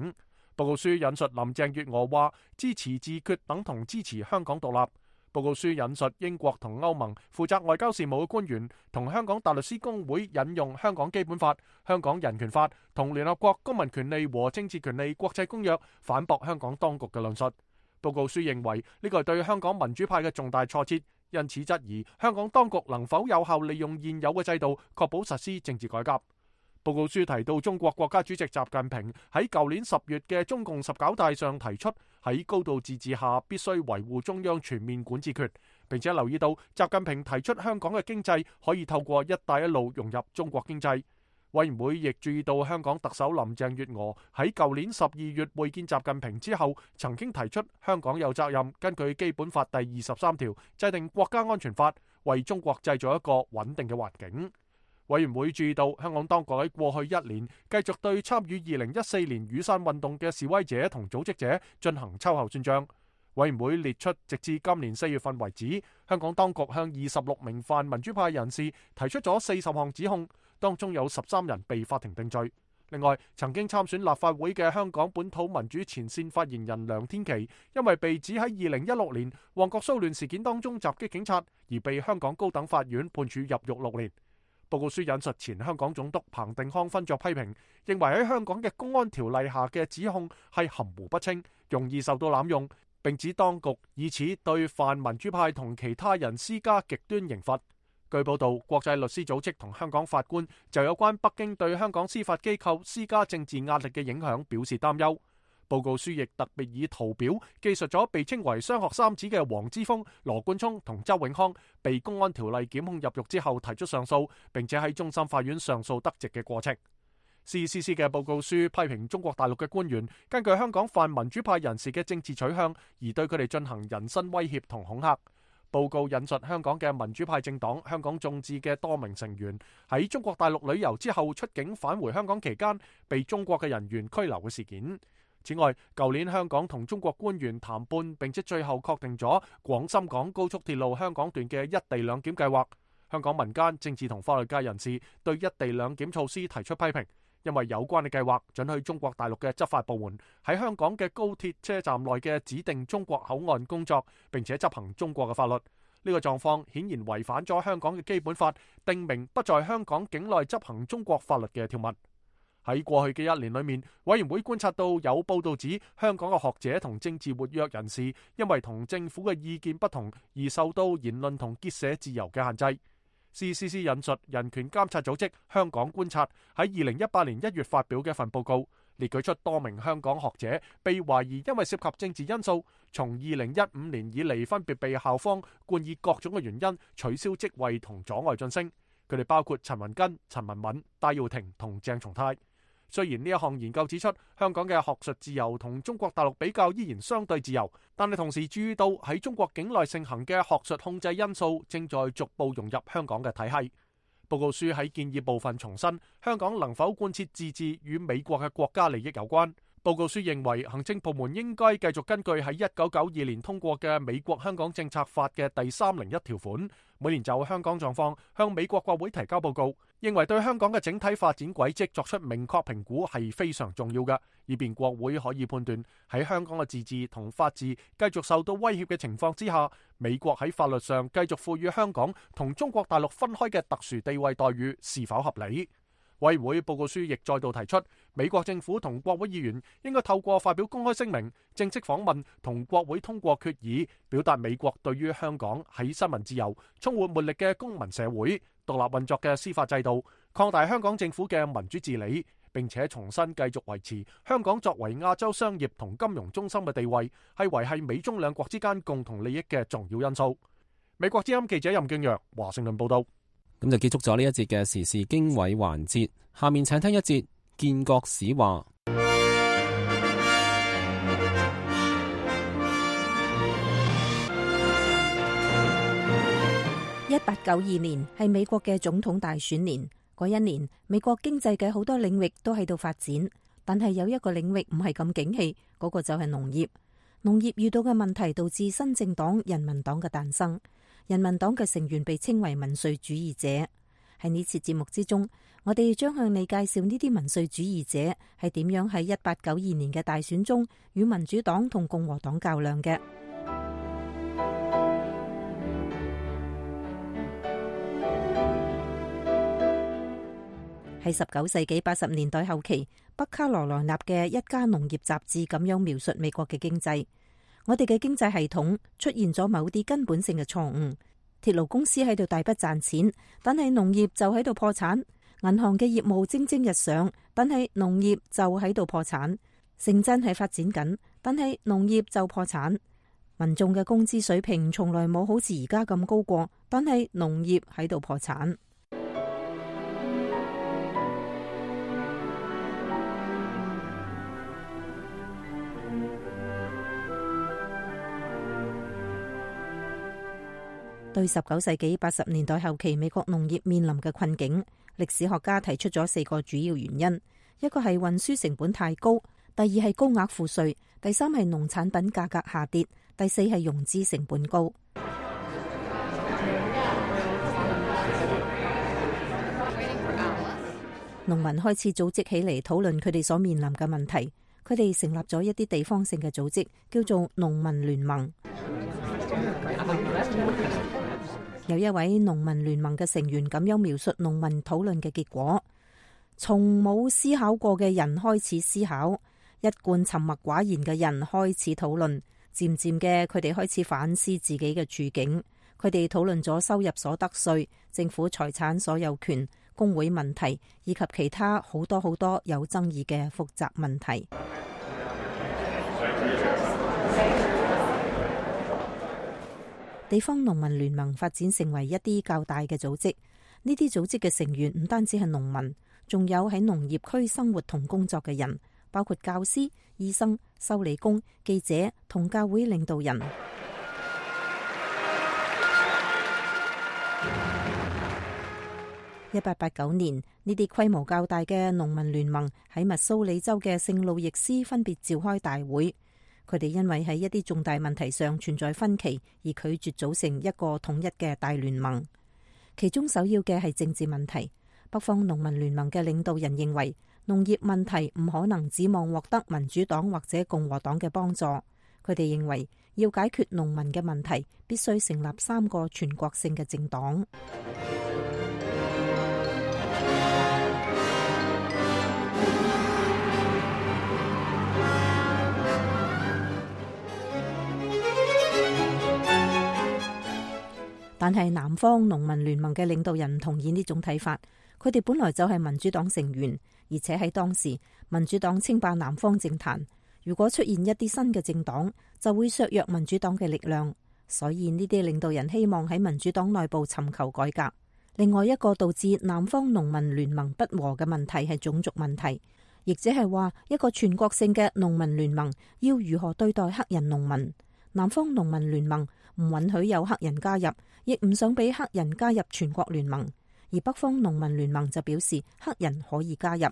報告書引述林鄭月娥話：支持自決等同支持香港獨立。報告書引述英國同歐盟負責外交事務嘅官員同香港大律師公會引用香港基本法、香港人權法同聯合國公民權利和政治權利國際公約反駁香港當局嘅論述。報告書認為呢個係對香港民主派嘅重大挫折，因此質疑香港當局能否有效利用現有嘅制度，確保實施政治改革。報告書提到中國國家主席習近平喺舊年十月嘅中共十九大上提出，喺高度自治下必須維護中央全面管治權，並且留意到習近平提出香港嘅經濟可以透過一帶一路融入中國經濟。委員會亦注意到香港特首林鄭月娥喺舊年十二月會見習近平之後，曾經提出香港有責任根據基本法第二十三條制定國家安全法，為中國製造一個穩定嘅環境。委員會注意到香港當局喺過去一年繼續對參與二零一四年雨傘運動嘅示威者同組織者進行秋後算賬。委員會列出直至今年四月份為止，香港當局向二十六名泛民主派人士提出咗四十項指控，當中有十三人被法庭定罪。另外，曾經參選立法會嘅香港本土民主前線發言人梁天琦，因為被指喺二零一六年旺角騷亂事件當中襲擊警察，而被香港高等法院判處入獄六年。報告書引述前香港總督彭定康分作批評，認為喺香港嘅公安條例下嘅指控係含糊不清，容易受到濫用，並指當局以此對泛民主派同其他人施加極端刑罰。據報道，國際律師組織同香港法官就有關北京對香港司法機構施加政治壓力嘅影響表示擔憂。報告書亦特別以圖表記述咗被稱為雙學三子嘅黃之鋒、羅冠聰同周永康被公安條例檢控入獄之後提出上訴，並且喺終審法院上訴得直嘅過程。C C C 嘅報告書批評中國大陸嘅官員根據香港泛民主派人士嘅政治取向而對佢哋進行人身威脅同恐嚇。報告引述香港嘅民主派政黨香港眾志嘅多名成員喺中國大陸旅遊之後出境返回香港期間被中國嘅人員拘留嘅事件。此外，舊年香港同中國官員談判，並且最後確定咗廣深港高速鐵路香港段嘅一地兩檢計劃。香港民間、政治同法律界人士對一地兩檢措施提出批評，因為有關嘅計劃准許中國大陸嘅執法部門喺香港嘅高鐵車站內嘅指定中國口岸工作，並且執行中國嘅法律。呢個狀況顯然違反咗香港嘅基本法，定明不在香港境內執行中國法律嘅條文。喺過去嘅一年裏面，委員會觀察到有報道指香港嘅學者同政治活躍人士因為同政府嘅意見不同而受到言論同結社自由嘅限制。C C C 引述人權監察組織香港觀察喺二零一八年一月發表嘅一份報告，列舉出多名香港學者被懷疑因為涉及政治因素，從二零一五年以嚟分別被校方冠以各種嘅原因取消職位同阻礙晉升。佢哋包括陳雲根、陳文敏、戴耀廷同鄭松泰。雖然呢一項研究指出香港嘅學術自由同中國大陸比較依然相對自由，但係同時注意到喺中國境內盛行嘅學術控制因素正在逐步融入香港嘅體系。報告書喺建議部分重申，香港能否貫徹自治與美國嘅國家利益有關。報告書認為行政部門應該繼續根據喺一九九二年通過嘅美國香港政策法嘅第三零一條款，每年就香港狀況向美國國會提交報告，認為對香港嘅整體發展軌跡作出明確評估係非常重要嘅，以便國會可以判斷喺香港嘅自治同法治繼續受到威脅嘅情況之下，美國喺法律上繼續賦予香港同中國大陸分開嘅特殊地位待遇是否合理。委員會報告書亦再度提出，美國政府同國會議員應該透過發表公開聲明、正式訪問同國會通過決議，表達美國對於香港喺新聞自由、充滿活力嘅公民社會、獨立運作嘅司法制度、擴大香港政府嘅民主治理，並且重新繼續維持香港作為亞洲商業同金融中心嘅地位，係維繫美中兩國之間共同利益嘅重要因素。美國之音記者任敬揚華盛頓報道。咁就結束咗呢一節嘅時事經緯環節，下面請聽一節建國史話。一八九二年係美國嘅總統大選年，嗰一年美國經濟嘅好多領域都喺度發展，但係有一個領域唔係咁景氣，嗰個就係農業。農業遇到嘅問題導致新政黨人民黨嘅誕生。人民黨嘅成員被稱為民粹主義者。喺呢次節目之中，我哋將向你介紹呢啲民粹主義者係點樣喺一八九二年嘅大選中與民主黨同共和黨較量嘅。喺十九世紀八十年代後期，北卡羅來納嘅一家農業雜誌咁樣描述美國嘅經濟。我哋嘅經濟系統出現咗某啲根本性嘅錯誤，鐵路公司喺度大筆賺錢，但係農業就喺度破產；銀行嘅業務蒸蒸日上，但係農業就喺度破產；城鎮係發展緊，但係農業就破產；民眾嘅工資水平從來冇好似而家咁高過，但係農業喺度破產。對十九世紀八十年代後期美國農業面臨嘅困境，歷史學家提出咗四個主要原因：一個係運輸成本太高，第二係高額賦稅，第三係農產品價格下跌，第四係融資成本高。農民開始組織起嚟討論佢哋所面臨嘅問題，佢哋成立咗一啲地方性嘅組織，叫做農民聯盟。有一位農民聯盟嘅成員咁樣描述農民討論嘅結果：從冇思考過嘅人開始思考，一貫沉默寡言嘅人開始討論，漸漸嘅佢哋開始反思自己嘅處境。佢哋討論咗收入所得稅、政府財產所有權、工會問題以及其他好多好多有爭議嘅複雜問題。地方農民聯盟發展成為一啲較大嘅組織，呢啲組織嘅成員唔單止係農民，仲有喺農業區生活同工作嘅人，包括教師、醫生、修理工、記者同教會領導人。一八八九年，呢啲規模較大嘅農民聯盟喺密蘇里州嘅聖路易斯分別召開大會。佢哋因為喺一啲重大問題上存在分歧，而拒絕組成一個統一嘅大聯盟。其中首要嘅係政治問題。北方農民聯盟嘅領導人認為，農業問題唔可能指望獲得民主黨或者共和黨嘅幫助。佢哋認為，要解決農民嘅問題，必須成立三個全國性嘅政黨。但係南方農民聯盟嘅領導人唔同意呢種睇法。佢哋本來就係民主黨成員，而且喺當時民主黨稱霸南方政壇。如果出現一啲新嘅政黨，就會削弱民主黨嘅力量。所以呢啲領導人希望喺民主黨內部尋求改革。另外一個導致南方農民聯盟不和嘅問題係種族問題，亦即係話一個全國性嘅農民聯盟要如何對待黑人農民。南方農民聯盟唔允許有黑人加入，亦唔想俾黑人加入全國聯盟。而北方農民聯盟就表示黑人可以加入。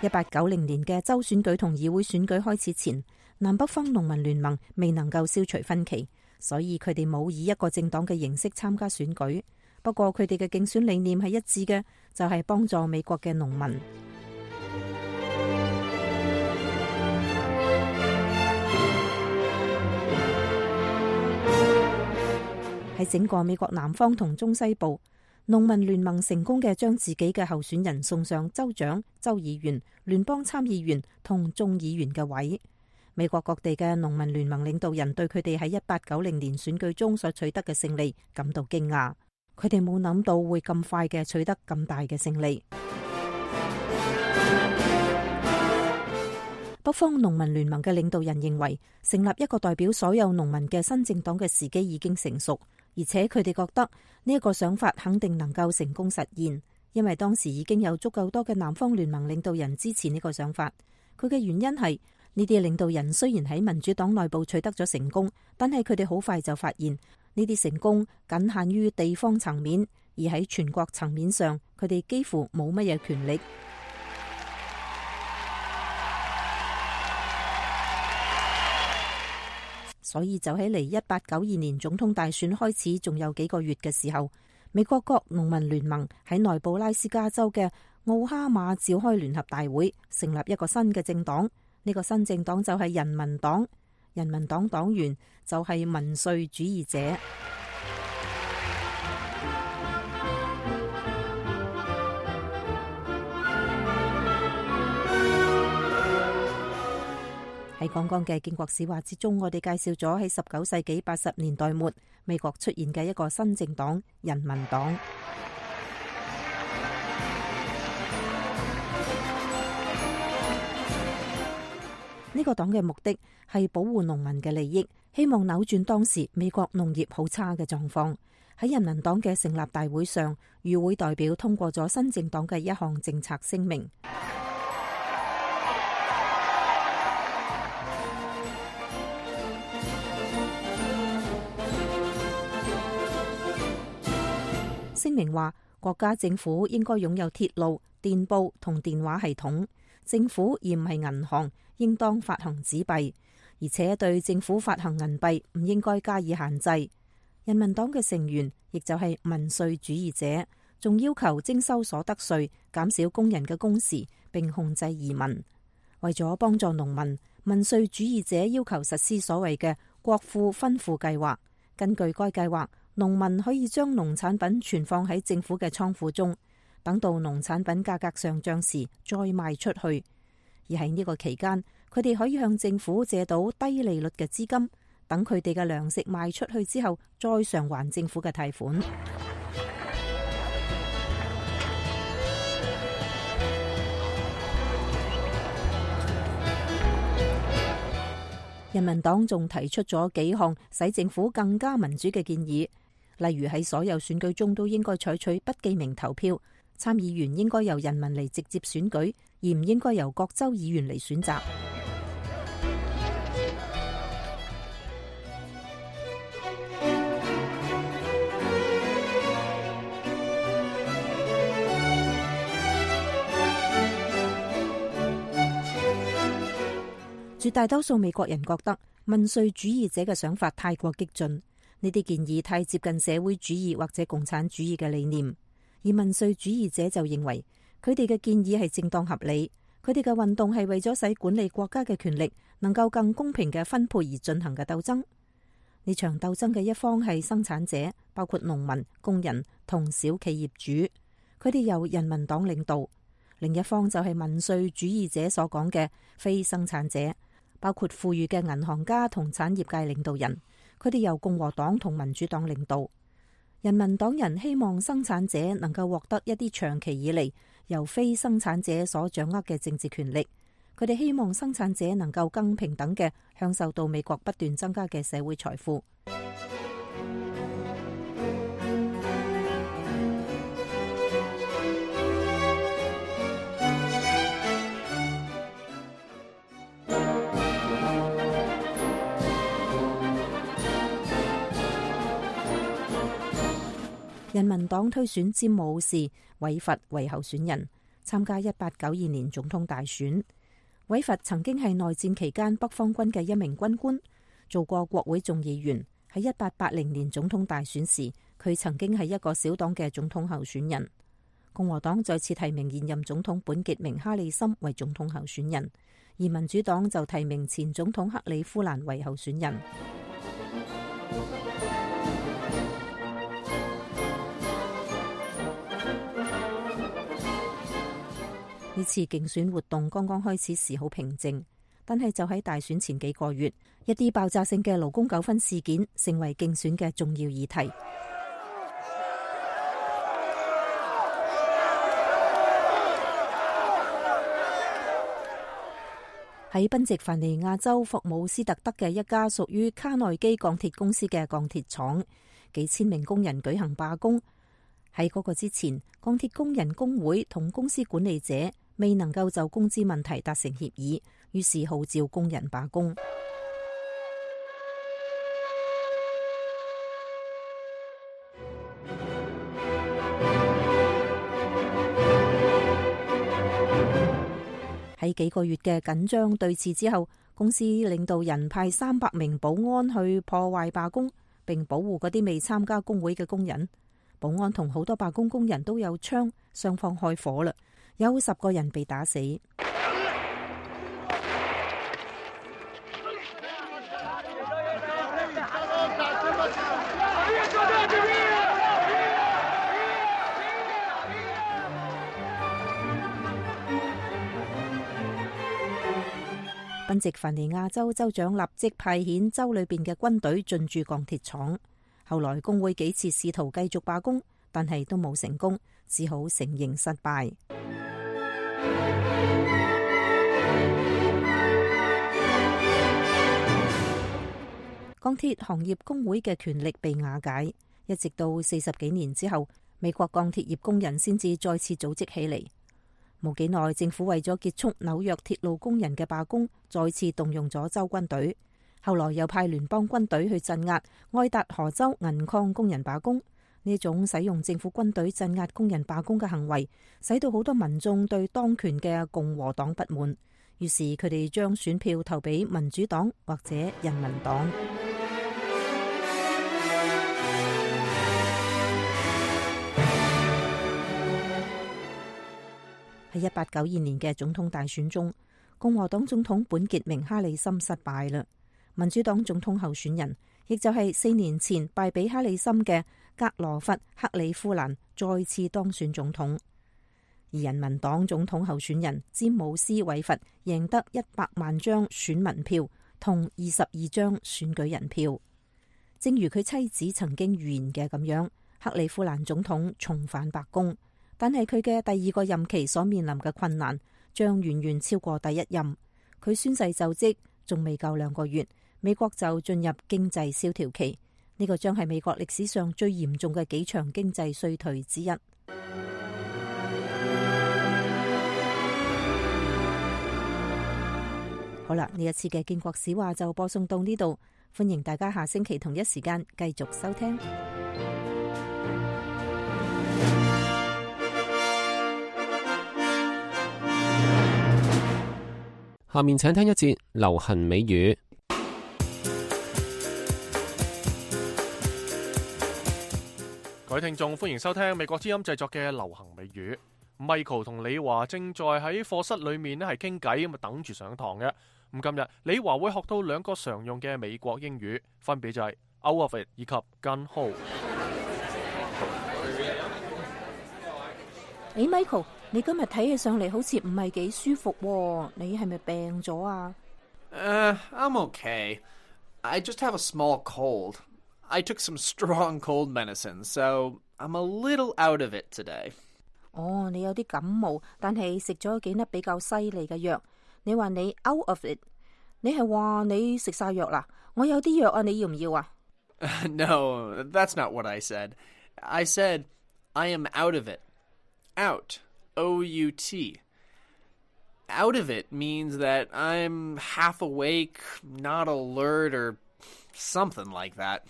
一八九零年嘅州選舉同議會選舉開始前，南北方農民聯盟未能夠消除分歧，所以佢哋冇以一個政黨嘅形式參加選舉。不過佢哋嘅競選理念係一致嘅，就係幫助美國嘅農民。喺整個美國南方同中西部，農民聯盟成功嘅將自己嘅候選人送上州長、州議員、聯邦參議員同眾議員嘅位。美國各地嘅農民聯盟領導人對佢哋喺一八九零年選舉中所取得嘅勝利感到驚訝，佢哋冇諗到會咁快嘅取得咁大嘅勝利。北方農民聯盟嘅領導人認為，成立一個代表所有農民嘅新政黨嘅時機已經成熟。而且佢哋覺得呢一個想法肯定能夠成功實現，因為當時已經有足夠多嘅南方聯盟領導人支持呢個想法。佢嘅原因係呢啲領導人雖然喺民主黨內部取得咗成功，但係佢哋好快就發現呢啲成功僅限於地方層面，而喺全國層面上，佢哋幾乎冇乜嘢權力。所以就喺離一八九二年總統大選開始仲有幾個月嘅時候，美國各農民聯盟喺內布拉斯加州嘅奧哈馬召開聯合大會，成立一個新嘅政黨。呢個新政黨就係人民黨，人民黨黨員就係民粹主義者。喺剛剛嘅建國史話之中，我哋介紹咗喺十九世紀八十年代末美國出現嘅一個新政黨——人民黨。呢個黨嘅目的係保護農民嘅利益，希望扭轉當時美國農業好差嘅狀況。喺人民黨嘅成立大會上，與會代表通過咗新政黨嘅一項政策聲明。聲明話，國家政府應該擁有鐵路、電報同電話系統。政府而唔係銀行，應當發行紙幣，而且對政府發行銀幣唔應該加以限制。人民黨嘅成員，亦就係民粹主義者，仲要求徵收所得稅，減少工人嘅工時，並控制移民。為咗幫助農民，民粹主義者要求實施所謂嘅國庫分庫計劃。根據該計劃，農民可以將農產品存放喺政府嘅倉庫中，等到農產品價格上漲時再賣出去。而喺呢個期間，佢哋可以向政府借到低利率嘅資金，等佢哋嘅糧食賣出去之後，再償還政府嘅貸款。人民黨仲提出咗幾項使政府更加民主嘅建議，例如喺所有選舉中都應該採取不記名投票，參議員應該由人民嚟直接選舉，而唔應該由各州議員嚟選擇。絕大多數美國人覺得民粹主義者嘅想法太過激進，呢啲建議太接近社會主義或者共產主義嘅理念，而民粹主義者就認為佢哋嘅建議係正當合理，佢哋嘅運動係為咗使管理國家嘅權力能夠更公平嘅分配而進行嘅鬥爭。呢場鬥爭嘅一方係生產者，包括農民、工人同小企業主，佢哋由人民黨領導。另一方就係民粹主義者所講嘅非生產者，包括富裕嘅銀行家同產業界領導人，佢哋由共和黨同民主黨領導。人民黨人希望生產者能夠獲得一啲長期以嚟由非生產者所掌握嘅政治權力，佢哋希望生產者能夠更平等嘅享受到美國不斷增加嘅社會財富。人民黨推選詹姆士·韋弗為候選人，參加一八九二年總統大選。韋弗曾經係內戰期間北方軍嘅一名軍官，做過國會眾議員。喺一八八零年總統大選時，佢曾經係一個小黨嘅總統候選人。共和黨再次提名現任總統本傑明·哈里森為總統候選人，而民主黨就提名前總統克里夫蘭為候選人。呢次競選活動剛剛開始時好平靜，但係就喺大選前幾個月，一啲爆炸性嘅勞工糾紛事件成為競選嘅重要議題。喺賓夕凡尼亞州霍姆斯特德嘅一家屬於卡內基鋼鐵公司嘅鋼鐵廠，幾千名工人舉行罷工。喺嗰個之前，鋼鐵工人工會同公司管理者未能夠就工資問題達成協議，於是號召工人罷工。喺幾個月嘅緊張對峙之後，公司領導人派三百名保安去破壞罷工，並保護嗰啲未參加工會嘅工人。保安同好多罷工工人都有槍，雙方開火啦，有十個人被打死。賓夕凡尼亞州州長立即派遣州裏邊嘅軍隊進駐鋼鐵廠。後來工會幾次試圖繼續罷工，但係都冇成功，只好承認失敗。鋼鐵行業工會嘅權力被瓦解，一直到四十幾年之後，美國鋼鐵業工人先至再次組織起嚟。冇幾耐，政府為咗結束紐約鐵路工人嘅罷工，再次動用咗州軍隊。後來又派聯邦軍隊去鎮壓愛達荷州銀礦工人罷工。呢種使用政府軍隊鎮壓工人罷工嘅行為，使到好多民眾對當權嘅共和黨不滿，於是佢哋將選票投俾民主黨或者人民黨。喺一八九二年嘅總統大選中，共和黨總統本傑明·哈里森失敗啦。民主黨總統候選人，亦就係四年前敗俾哈里森嘅格羅弗·克里夫蘭再次當選總統，而人民黨總統候選人詹姆斯·韋弗贏得一百萬張選民票同二十二張選舉人票。正如佢妻子曾經預言嘅咁樣，克里夫蘭總統重返白宮，但係佢嘅第二個任期所面臨嘅困難將遠遠超過第一任。佢宣誓就職仲未夠兩個月，美國就進入經濟蕭條期，呢個將係美國歷史上最嚴重嘅幾場經濟衰退之一。好啦，呢一次嘅建國史話就播送到呢度，歡迎大家下星期同一時間繼續收聽。下面請聽一節流行美語。各位聽眾，歡迎收聽美國之音製作嘅流行美語。Michael 同李華正在喺課室裏面咧係傾偈，咁啊等住上堂嘅。咁今日李華會學到兩個常用嘅美國英語，分別就係 out of it 以及 gun ho。誒，Michael，你今日睇起上嚟好似唔係幾舒服喎，你係咪病咗啊？ Uh, I'm okay. I just have a small cold. I took some strong cold medicine, so I'm a little out of it today. 哦，你有啲感冒，但係食咗幾粒比較犀利嘅藥。你話你 out of it， 你係話你食晒藥啦？我有啲藥啊，你要唔要啊？ No, that's not what I said. I said I am out of it. Out. O U T. Out of it means that I'm half awake, not alert, or something like that.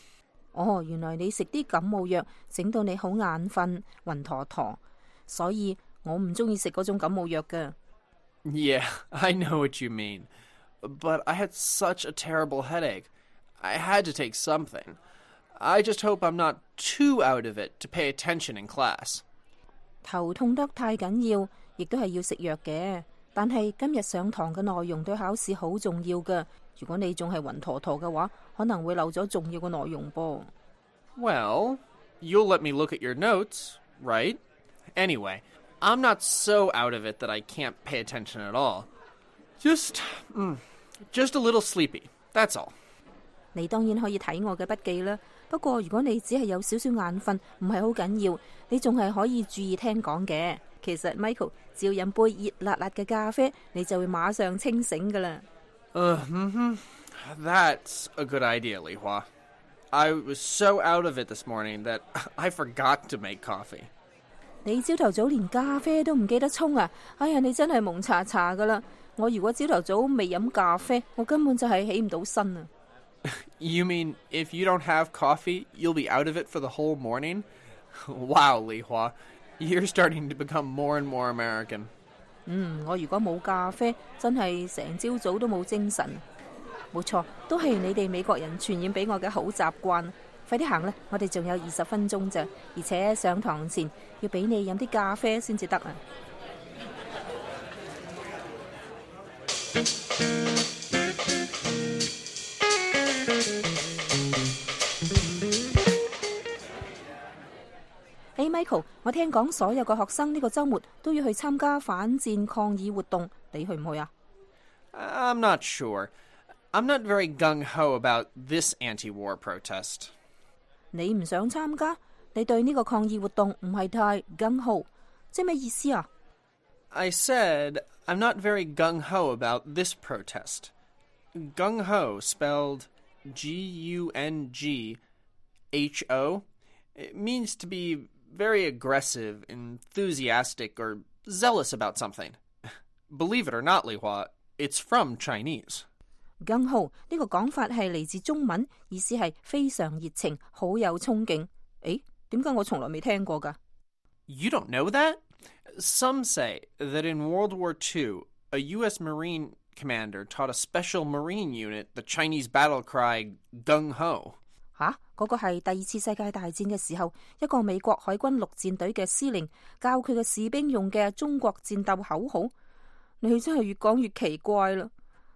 哦，原來你食啲感冒藥，整到你好眼瞓、暈陀陀，所以我唔中意食嗰種感冒藥㗎。Yeah, I know what you mean. But I had such a terrible headache. I had to take something. I just hope I'm not too out of it to pay attention in class. 頭痛得太緊要，亦都係要食藥嘅。但係今日上堂嘅內容對考試好重要㗎。如果你仲係暈陀陀嘅話，可能會漏咗重要嘅內容噃。Well, you'll let me look at your notes, right? Anyway, I'm not so out of it that I can't pay attention at all. Just, mm, just a little sleepy. That's all. 你當然可以睇我嘅筆記啦。不過如果你只係有少少眼瞓，唔係好緊要，你仲係可以注意聽講嘅。其實 Michael 只要飲杯熱辣辣嘅咖啡，你就會馬上清醒噶啦。Uh, mm-hmm. That's a good idea, Li Hua. I was so out of it this morning that I forgot to make coffee. 你朝頭早連咖啡都唔記得沖啊！哎呀，你真係蒙查查噶啦！我如果朝頭早未飲咖啡，我根本就係起唔到身啊！ You mean if you don't have coffee, you'll be out of it for the whole morning? Wow, Li Hua. You're starting to become more and more American. 嗯，我如果冇咖啡，真係成朝早都冇精神。冇錯，都係你哋美國人傳染俾我嘅好習慣。快啲行啦，我哋仲有二十分鐘咋，而且上堂前要俾你飲啲咖啡先至得啊！Hey Michael， 我聽講所有嘅學生呢個週末都要去參加反戰抗議活動，你去唔去啊？ I'm not sure. I'm not very gung-ho about this anti-war protest. 你唔想參加？你對呢個抗議活動唔係太 gung-ho， 即係咩意思啊？ I said I'm not very gung-ho about this protest. Gung-ho spelled G U N G H O. It means to be very aggressive, enthusiastic, or zealous about something. Believe it or not, Li Hua, it's from Chinese. gung-ho 呢個講法係嚟自中文，意思係非常熱情，好有衝勁。誒，點解我從來未聽過㗎？ You don't know that? Some say that in World War Two, a U S Marine commander taught a special Marine unit the Chinese battle cry gung-ho. 吓，嗰個係第二次世界大戰嘅時候，一個美國海軍陸戰隊嘅司令教佢嘅士兵用嘅中國戰鬥口號。你真係越講越奇怪啦。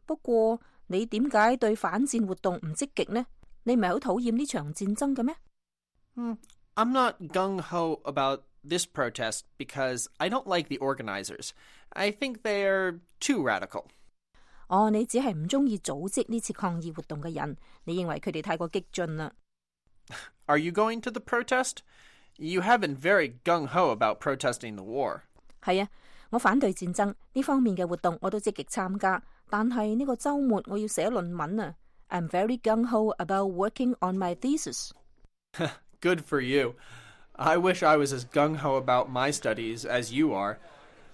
不過你點解對反戰活動唔積極呢？你唔係好討厭呢場戰爭嘅咩？ Hmm, I'm not gung-ho about this protest because I don't like the organizers. I think they're too radical. 哦，你只係唔中意組織呢次抗議活動嘅人，你認為佢哋太過激進啦。 Are you going to the protest? You have been very gung-ho about protesting the war. 係啊，我反對戰爭呢方面嘅活動我都積極參加，但係呢個週末我要寫論文啊。I'm very gung-ho about working on my thesis. Good for you. I wish I was as gung-ho about my studies as you are.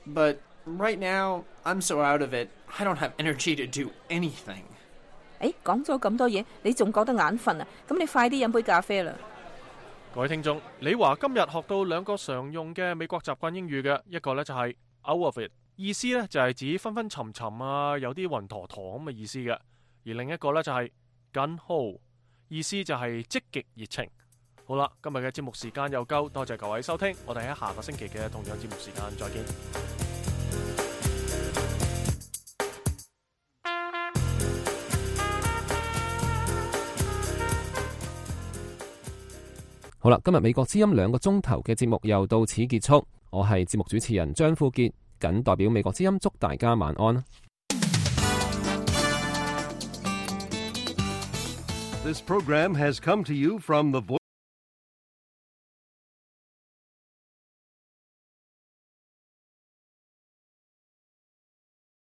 But right now, I'm so out of it, I don't have energy to do anything. 誒，講咗咁多嘢，你仲覺得眼瞓啊？咁你快啲飲杯咖啡啦！各位聽眾，李華今日學到兩個常用嘅美國習慣英語嘅，一個呢就係 out of it， 意思呢就係指昏昏沉沉啊，有啲暈陀陀咁嘅意思嘅；而另一個呢就係 gung-ho， 意思就係積極熱情。好啦，今日嘅節目時間又夠，多謝各位收聽，我哋喺下個星期嘅同樣節目時間再見。好啦，今日美國之音兩個鐘頭嘅節目又到此結束。我係節目主持人張富傑，謹代表美國之音祝大家晚安。This program has come to you from the